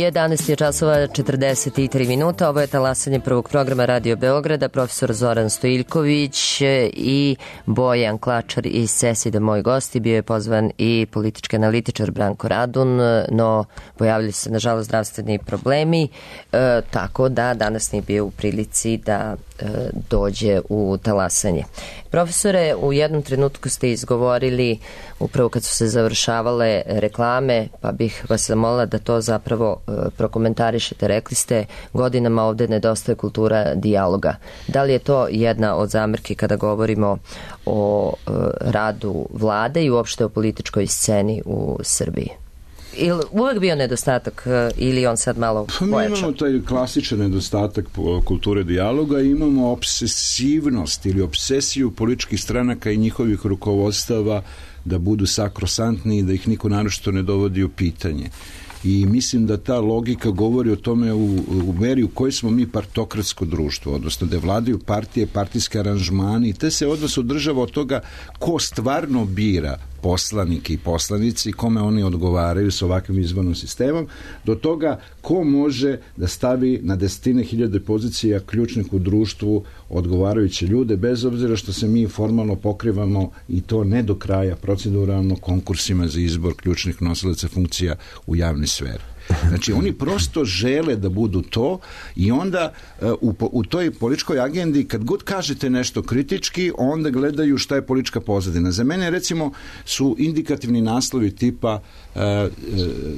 jedanaest je časova, četrdeset tri minuta. Ovo je talasanje prvog programa Radio Beograda. Profesor Zoran Stojiljković i Bojan Klačar iz CESID-a moj gosti. Bio je pozvan i politički analitičar Branko Radun, no pojavili se nažalost zdravstveni problemi, e, tako da danas nije bio u prilici da e, dođe u talasanje. Profesore, u jednom trenutku ste izgovorili, upravo kad su se završavale reklame, pa bih vas zamolila da to zapravo e, prokomentarišete. Rekli ste, godinama ovde nedostaje kultura dijaloga. Da li je to jedna od zamerki kada govorimo o e, radu vlade i uopšte o političkoj sceni u Srbiji? ili uvek bio nedostatak ili on sad malo pa mi pojačao? Imamo taj klasičan nedostatak kulture dijaloga, imamo obsesivnost ili obsesiju političkih stranaka i njihovih rukovodstava da budu sakrosantni i da ih niko naročito ne dovodi u pitanje. I mislim da ta logika govori o tome u, u meri u kojoj smo mi partokratsko društvo, odnosno da vladaju partije, partijske aranžmani i te se odnos održava od toga ko stvarno bira poslanike i poslanici, kome oni odgovaraju s ovakvim izbornim sistemom, do toga ko može da stavi na desetine hiljade pozicija ključnih u društvu odgovarajuće ljude, bez obzira što se mi formalno pokrivamo i to ne do kraja proceduralno konkursima za izbor ključnih nosilaca funkcija u javnoj sferi. Znači, oni prosto žele da budu to i onda u, u toj političkoj agendi kad god kažete nešto kritički, onda gledaju šta je politička pozadina. Za mene, recimo, su indikativni naslovi tipa uh, uh,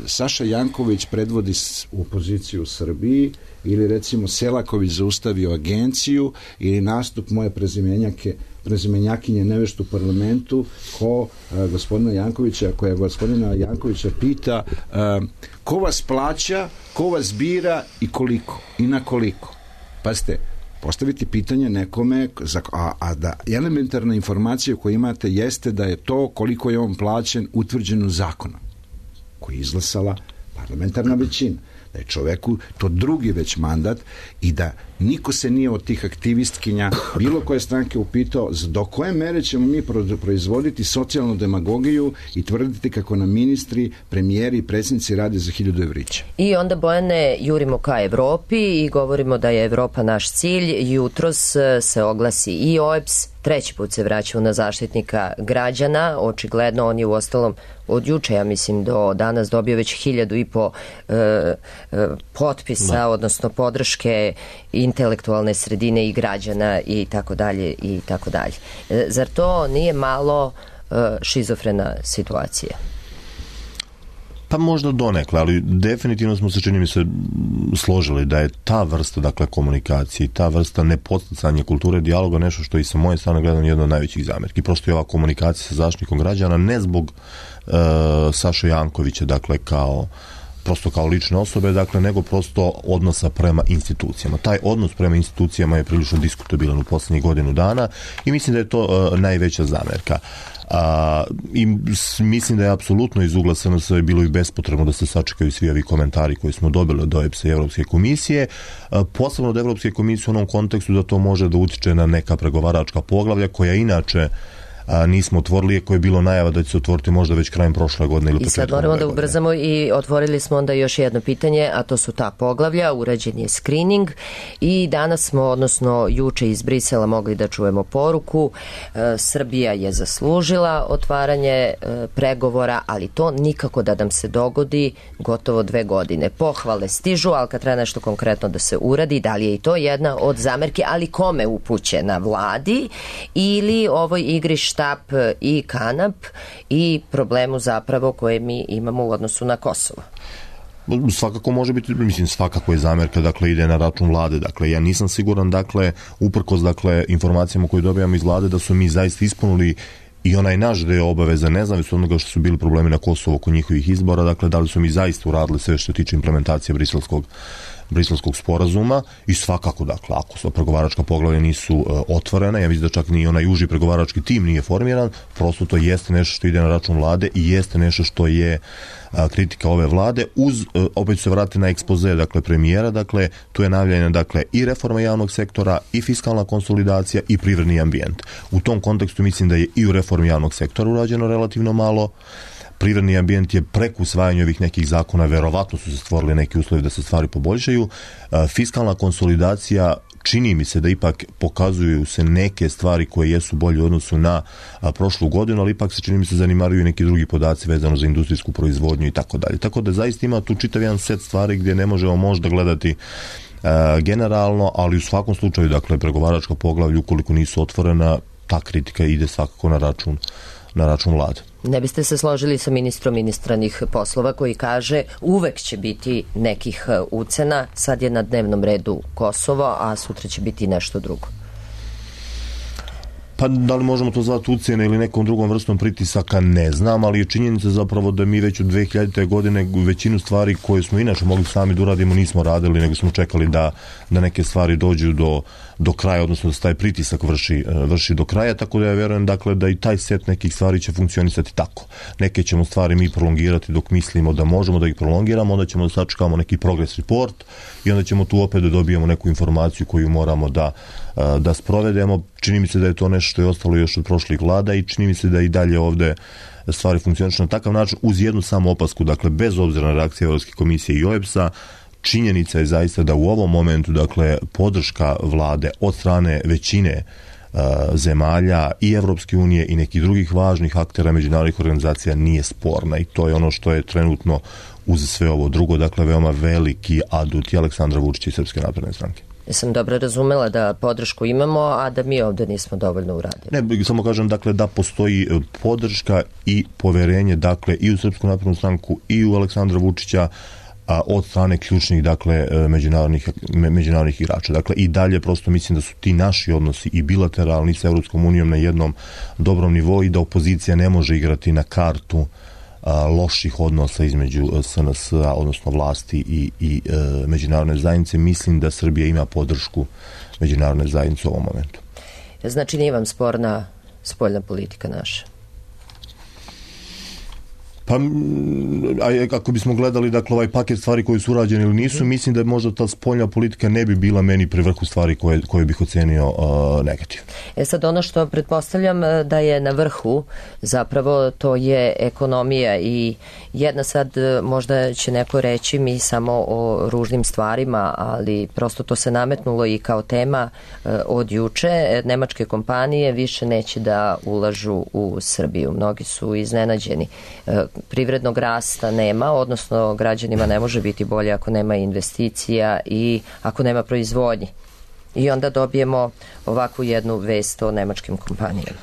Saša Janković predvodi opoziciju u Srbiji ili recimo Selaković zaustavio agenciju ili nastup moje prezimenjake prezimenjakinje nevešt u parlamentu ko uh, gospodina Jankovića, koja gospodina Jankovića pita uh, ko vas plaća, ko vas bira i koliko i na koliko. Pazite, postaviti pitanje nekome, a, a da elementarna informacija koju imate jeste da je to koliko je on plaćen utvrđeno zakonom koji je izglasala parlamentarna većina. Da je čoveku to drugi već mandat i da niko se nije od tih aktivistkinja bilo koje stranke upitao do koje mere ćemo mi proizvoditi socijalnu demagogiju i tvrditi kako nam ministri, premijeri i predsjednici rade za hiljadu evrića. I onda, Bojane, jurimo ka Evropi i govorimo da je Evropa naš cilj. Jutros se oglasi i O E B S, treći put se vraćamo na Zaštitnika građana, očigledno on je u ostalom od juče, ja mislim, do danas dobio već hiljadu i po e, e, potpisa, da. Odnosno podrške intelektualne sredine i građana i tako dalje i tako dalje. E, zar to nije malo e, šizofrena situacija? Pa možda donekle, ali definitivno smo se, čini mi se, složili da je ta vrsta, dakle, komunikacije i ta vrsta nepodstacanja kulture dijaloga nešto što i sa moje strane gledam jedna od najvećih zamerki. Prosto je ova komunikacija sa Zaštitnikom građana ne zbog uh, Saše Jankovića, dakle, kao prosto kao lične osobe, dakle, nego prosto odnosa prema institucijama. Taj odnos prema institucijama je prilično diskutabilan u poslednjih godinu dana i mislim da je to uh, najveća zamerka. A, i mislim da je apsolutno iz ugla S N S bilo i bespotrebno da se sačekaju svi ovi komentari koji smo dobili od O E B S-a i Evropske komisije, a, posebno od Evropske komisije u onom kontekstu da to može da utiče na neka pregovaračka poglavlja koja inače a, nismo otvorili, koje je bilo najava da će se otvoriti možda već krajem prošle godine ili početkom. I sad moramo da ubrzamo i otvorili smo onda još jedno pitanje, a to su ta poglavlja, urađen je screening i danas smo, odnosno juče iz Brisela mogli da čujemo poruku, e, Srbija je zaslužila otvaranje e, pregovora, ali to nikako da nam se dogodi gotovo dve godine. Pohvale stižu, ali kad treba nešto konkretno da se uradi, da li je i to jedna od zamerki, ali kome upućena, vladi ili ovoj igri štap i kanap i problemu zapravo koje mi imamo u odnosu na Kosovo? Svakako može biti, mislim, svakako je zamerka, dakle, ide na račun vlade. Dakle, ja nisam siguran, dakle, uprkos, dakle, informacijama koje dobijamo iz vlade, da su mi zaista ispunili i onaj naš deo obaveza, nezavisno od onoga što su bili problemi na Kosovo oko njihovih izbora, dakle, da li su mi zaista uradili sve što tiče implementacije briselskog briselskog sporazuma i svakako, dakle, ako su pregovaračka poglavlja nisu uh, otvorena, ja mislim da čak ni onaj uži pregovarački tim nije formiran, prosto to jeste nešto što ide na račun vlade i jeste nešto što je uh, kritika ove vlade, uz, uh, opet se vrati na ekspoze, dakle, premijera, dakle, tu je najavljena, dakle, i reforma javnog sektora, i fiskalna konsolidacija, i privredni ambijent. U tom kontekstu mislim da je i u reformi javnog sektora urađeno relativno malo. Privredni ambijent je preko usvajanja ovih nekih zakona, verovatno su se stvorili neki uslovi da se stvari poboljšaju. Fiskalna konsolidacija, čini mi se da ipak pokazuju se neke stvari koje jesu bolje u odnosu na a, prošlu godinu, ali ipak se, čini mi se, zanimaruju neki drugi podaci vezano za industrijsku proizvodnju i tako dalje. Tako da zaista ima tu čitav jedan set stvari gdje ne možemo možda gledati a, generalno, ali u svakom slučaju, dakle, pregovaračka poglavlja, ukoliko nisu otvorena, ta kritika ide svakako na račun na račun vlade. Ne biste se složili sa ministrom inostranih poslova koji kaže uvek će biti nekih ucena, sad je na dnevnom redu Kosovo, a sutra će biti nešto drugo? Pa da li možemo to zvati ucjene ili nekom drugom vrstom pritisaka, ne znam, ali je činjenica zapravo da mi već od dve hiljadite. godine većinu stvari koje smo inače mogli sami da uradimo nismo radili, nego smo čekali da, da neke stvari dođu do, do kraja, odnosno da se taj pritisak vrši, vrši do kraja, tako da ja vjerujem dakle, da i taj set nekih stvari će funkcionisati tako. Neke ćemo stvari mi prolongirati dok mislimo da možemo da ih prolongiramo, onda ćemo da sačekamo neki progress report i onda ćemo tu opet da dobijemo neku informaciju koju moramo da da sprovedemo. Čini mi se da je to nešto što je ostalo još od prošlih vlada i čini mi se da i dalje ovde stvari funkcionišu na takav način, uz jednu samo opasku, dakle bez obzira na reakcije Evropske komisije i O E B S-a, činjenica je zaista da u ovom momentu, dakle, podrška vlade od strane većine uh, zemalja i Evropske unije i nekih drugih važnih aktera međunarodnih organizacija nije sporna i to je ono što je trenutno uz sve ovo drugo, dakle, veoma veliki adut i Aleksandra Vučića i Srpske napredne stranke. Jesam dobro razumela da podršku imamo, a da mi ovde nismo dovoljno uradili. Ne, samo kažem dakle da postoji podrška i poverenje dakle i u Srpsku naprednu stranku i u Aleksandra Vučića a, od strane ključnih dakle međunarodnih, međunarodnih igrača. Dakle i dalje prosto mislim da su ti naši odnosi i bilateralni sa Evropskom unijom na jednom dobrom nivou i da opozicija ne može igrati na kartu a, loših odnosa između S N S-a, odnosno vlasti i, i e, međunarodne zajednice. Mislim da Srbija ima podršku međunarodne zajednice u ovom momentu. Znači nije vam sporna spoljna politika naša? Pa, a kako bismo gledali dakle ovaj paket stvari koji su urađeni ili nisu, mislim da možda ta spoljna politika ne bi bila meni pri vrhu stvari koje, koje bih ocenio uh, negativno. E sad ono što pretpostavljam da je na vrhu zapravo to je ekonomija i jedna sad možda će neko reći mi samo o ružnim stvarima, ali prosto to se nametnulo i kao tema uh, od juče. Nemačke kompanije više neće da ulažu u Srbiju. Mnogi su iznenađeni. Uh, privrednog rasta nema, odnosno građanima ne može biti bolje ako nema investicija i ako nema proizvodnje. I onda dobijemo ovakvu jednu vest o nemačkim kompanijama.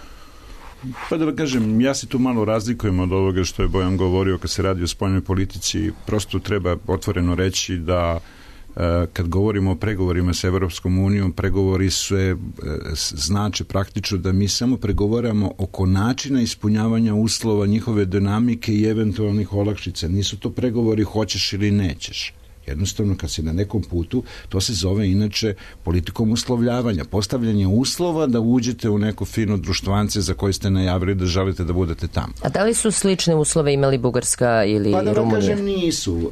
Pa da kažem, ja se tu malo razlikujem od ovoga što je Bojan govorio kad se radi o spoljnoj politici. Prosto treba otvoreno reći da kad govorimo o pregovorima sa Evropskom unijom, pregovori sve znače praktično da mi samo pregovaramo oko načina ispunjavanja uslova, njihove dinamike i eventualnih olakšica. Nisu to pregovori hoćeš ili nećeš. Jednostavno, kad si na nekom putu, to se zove inače politikom uslovljavanja, postavljanje uslova da uđete u neko fino društvance za koje ste najavili da želite da budete tamo. A da li su slične uslove imali Bugarska ili Rumunija? Pa da vam kažem, nisu.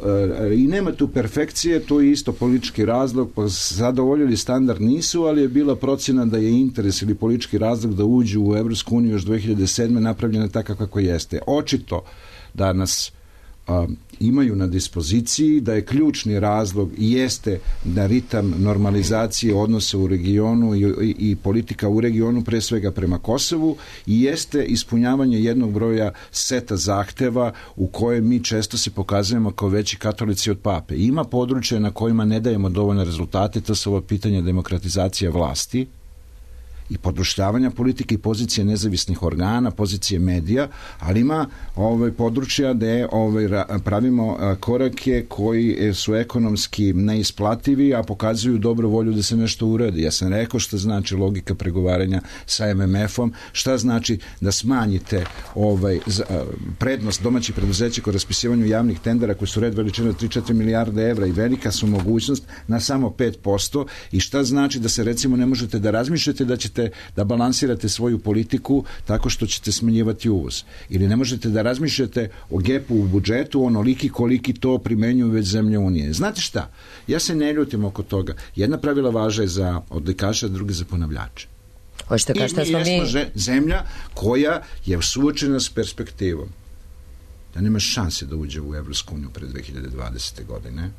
I nema tu perfekcije, to je isto politički razlog, pa zadovoljili standard nisu, ali je bila procjena da je interes ili politički razlog da uđu u Evropsku uniju još dve hiljade sedme napravljena tako kako jeste. Očito da nas a, imaju na dispoziciji, da je ključni razlog i jeste da ritam normalizacije odnosa u regionu i, i, i politika u regionu pre svega prema Kosovu i jeste ispunjavanje jednog broja seta zahteva u koje mi često se pokazujemo kao veći katolici od pape. Ima područja na kojima ne dajemo dovoljne rezultate, to su ova pitanja demokratizacije vlasti i podrušljavanja politike i pozicije nezavisnih organa, pozicije medija, ali ima ovaj, područja gde ovaj, pravimo korake koji su ekonomski neisplativi, a pokazuju dobru volju da se nešto uradi. Ja sam rekao šta znači logika pregovaranja sa M M F-om, šta znači da smanjite ovaj, prednost domaćih preduzeća kod raspisivanju javnih tendera koji su red veličine od tri do četiri milijarde evra i velika su mogućnost na samo pet posto i šta znači da se recimo ne možete da razmišljate da ćete da balansirate svoju politiku tako što ćete smanjivati uvoz. Ili ne možete da razmišljate o gepu u budžetu onoliki koliki to primenjuju već zemlje Unije. Znate šta? Ja se ne ljutim oko toga. Jedna pravila važa je za odlikaša, druga za ponavljače. Hoćete I mi jesmo zemlja koja je suočena s perspektivom da nema šanse da uđe u Evropsku uniju pre dve hiljade dvadesete. godine,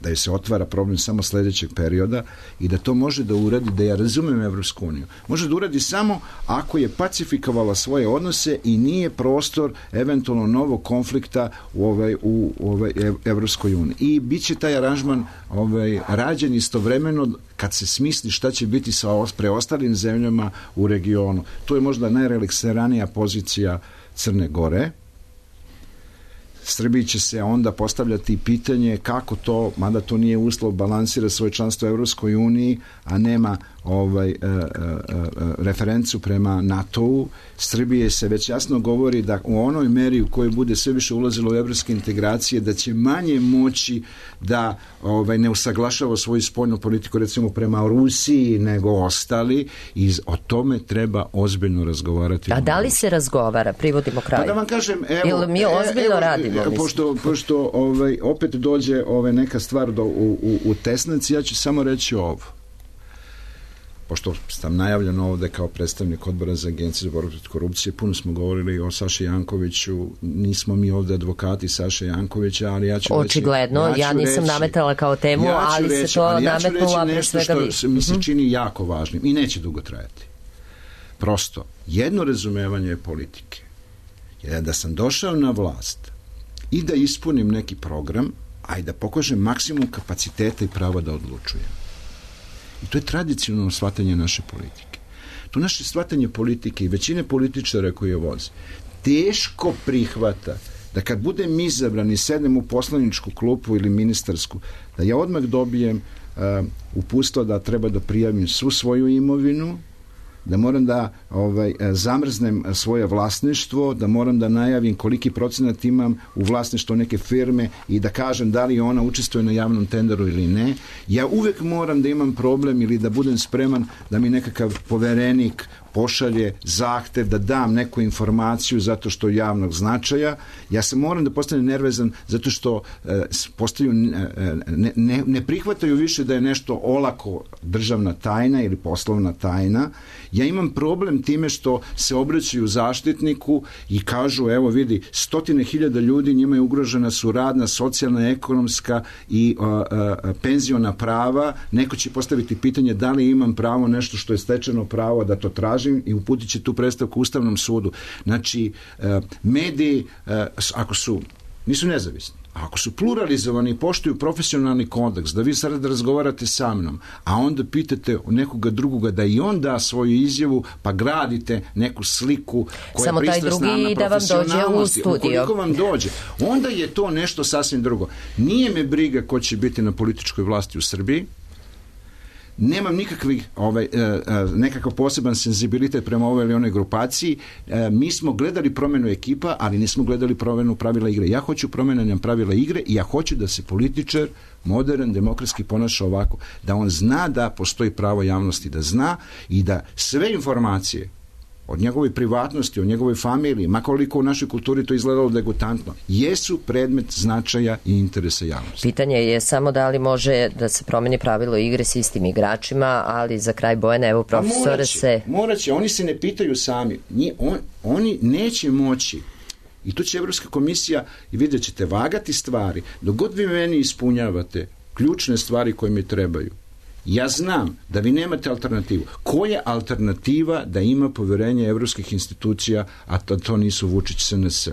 da je se otvara problem samo sledećeg perioda i da to može da uradi, da ja razumem Evropsku uniju, može da uradi samo ako je pacifikovala svoje odnose i nije prostor eventualno novog konflikta u, ovaj, u, u ovaj Evropskoj uniji. I bit će taj aranžman ovaj, rađen istovremeno kad se smisli šta će biti sa preostalim zemljama u regionu. To je možda najrelaksiranija pozicija Crne Gore. Srbiji će se onda postavljati pitanje kako to, mada to nije uslov, balansira svoje članstvo u Evropskoj uniji, a nema ovaj, e, e, e, referencu prema NATO-u. Srbije se već jasno govori da u onoj meri u kojoj bude sve više ulazilo u evropske integracije, da će manje moći da ovaj, ne usaglašava svoju spoljnu politiku recimo prema Rusiji nego ostali i o tome treba ozbiljno razgovarati. A da li se razgovara? Privodimo kraju. Pa da vam kažem, evo, Ili mi ozbiljno evo, radimo? Evo, pošto, pošto ovaj, opet dođe ovaj, neka stvar do, u, u, u tesnici, ja ću samo reći ovo. Pošto sam najavljen ovde kao predstavnik odbora za agenciju za borbu protiv korupcije, puno smo govorili o Saši Jankoviću, nismo mi ovde advokati Saše Jankovića, ali ja ću Očigledno, reći... ja, ja nisam reći, nametala kao temu, ja ali reći, se to ali ja nametnula pre svega vi. nešto što mi se čini jako važnim i neće dugo trajati. Prosto, jedno razumevanje politike je da sam došao na vlast i da ispunim neki program, a i da pokažem maksimum kapaciteta i prava da odlučujem. I to je tradicionalno shvatanje naše politike. To naše shvatanje politike i većine političara koji je voze teško prihvata da kad budem izabran i sednem u poslaničku klupu ili ministarsku, da ja odmah dobijem uh, uputstvo da treba da prijavim svu svoju imovinu, da moram da ovaj, zamrznem svoje vlasništvo, da moram da najavim koliki procenat imam u vlasništvu neke firme i da kažem da li ona učestvuje na javnom tenderu ili ne. Ja uvek moram da imam problem ili da budem spreman da mi nekakav poverenik pošalje zahtev da dam neku informaciju zato što je javnog značaja. Ja se moram da postanem nervezan zato što e, postaju, ne, ne, ne prihvataju više da je nešto olako državna tajna ili poslovna tajna. Ja imam problem time što se obraćaju zaštitniku i kažu, evo vidi, stotine hiljada ljudi, njima je ugrožena su radna, socijalna, ekonomska i a, a, penziona prava. Neko će postaviti pitanje da li imam pravo nešto što je stečeno pravo da to traži i uputit će tu predstavku Ustavnom sudu. Znači, mediji, ako su, nisu nezavisni, ako su pluralizovani i poštuju profesionalni kodeks, da vi sad razgovarate sa mnom, a onda pitate nekoga drugoga da i on da svoju izjavu, pa gradite neku sliku koja samo je pristrasna na da vam dođe u studio. Ukoliko vam dođe, onda je to nešto sasvim drugo. Nije me briga ko će biti na političkoj vlasti u Srbiji, nemam nikakvih ovaj, nekakav poseban senzibilitet prema ovoj ili onoj grupaciji. Mi smo gledali promenu ekipa, ali nismo gledali promenu pravila igre. Ja hoću promenjanje pravila igre i ja hoću da se političar modern, demokratski ponaša ovako, da on zna da postoji pravo javnosti, da zna i da sve informacije od njegove privatnosti, od njegove familije, makoliko u našoj kulturi to izgledalo degutantno, jesu predmet značaja i interesa javnosti. Pitanje je samo da li može da se promeni pravilo igre s istim igračima, ali za kraj Bojana, evo profesore se... Morat će, oni se ne pitaju sami. Nije, on, oni neće moći. I tu će Evropska komisija, i vidjet ćete, vagati stvari. Dok god vi meni ispunjavate ključne stvari koje mi trebaju, ja znam da vi nemate alternativu. Koja je alternativa da ima poverenje evropskih institucija, a to, to nisu Vučić S N S?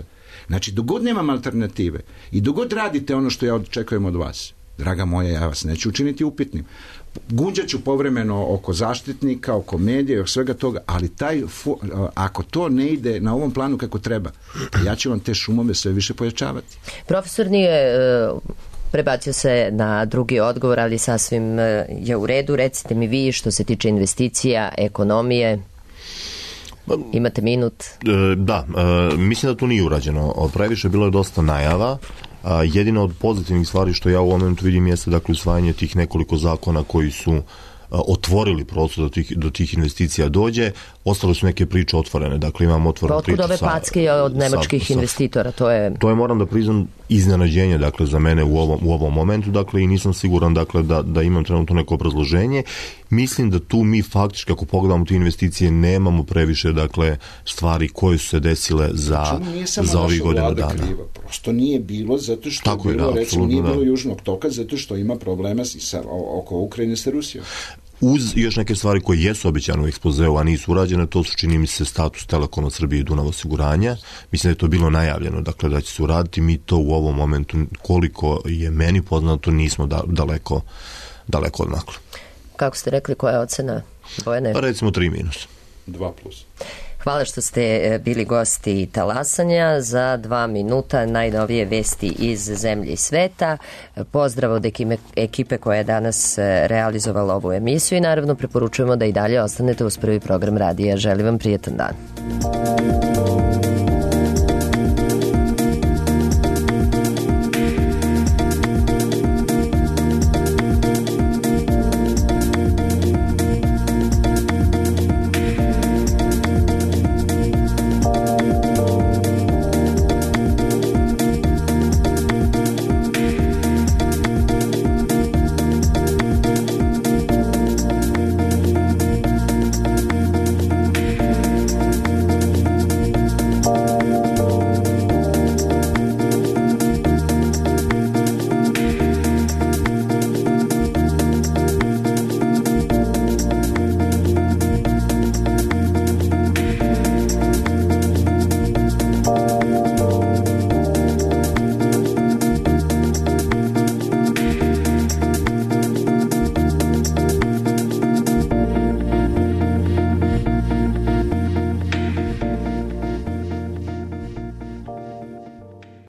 Znači, dogod nemam alternative i dogod radite ono što ja očekujem od vas, draga moja, ja vas neću učiniti upitnim. Gunđat ću povremeno oko zaštitnika, oko medija i oko svega toga, ali taj, ako to ne ide na ovom planu kako treba, ja ću vam te šumove sve više pojačavati. Profesor nije... Uh... prebacio se na drugi odgovor, ali sasvim je u redu. Recite mi vi što se tiče investicija, ekonomije. Imate minut. Da, mislim da to nije urađeno. Previše bilo je dosta najava. Jedina od pozitivnih stvari što ja u ovom momentu vidim jeste dakle usvajanje tih nekoliko zakona koji su otvorili prostor do tih, do tih investicija dođe. Ostale su neke priče otvorene. Dakle, imam otvorenu priču sa... Otkud ove packe od nemačkih sa, investitora? To je... To je, moram da priznam, iznenađenje, dakle, za mene u ovom, u ovom momentu, dakle, i nisam siguran, dakle, da, da imam trenutno neko obrazloženje. Mislim da tu mi faktički, ako pogledamo te investicije, nemamo previše, dakle, stvari koje su se desile za, za ovih godina dana. Kriva. Prosto nije bilo, zato što Tako je bilo, je, da, recimo, nije bilo da. Južnog toka, zato što ima problema sa, oko Ukrajine sa Rusijom. Uz još neke stvari koje jesu obećane u ekspozeu, a nisu urađene, to su, čini mi se, status Telekoma Srbije i Dunav osiguranja. Mislim da je to bilo najavljeno, dakle, da će se uraditi. Mi to u ovom momentu, koliko je meni poznato, nismo da, daleko, daleko odmakli. Kako ste rekli, koja je ocena, Bojane? Pa recimo tri minus. Dva plus. Hvala što ste bili gosti Talasanja. Za dva minuta najnovije vesti iz zemlje i sveta. Pozdrav od ekipe koja je danas realizovala ovu emisiju i naravno preporučujemo da i dalje ostanete uz prvi program radija. Želim vam prijetan dan.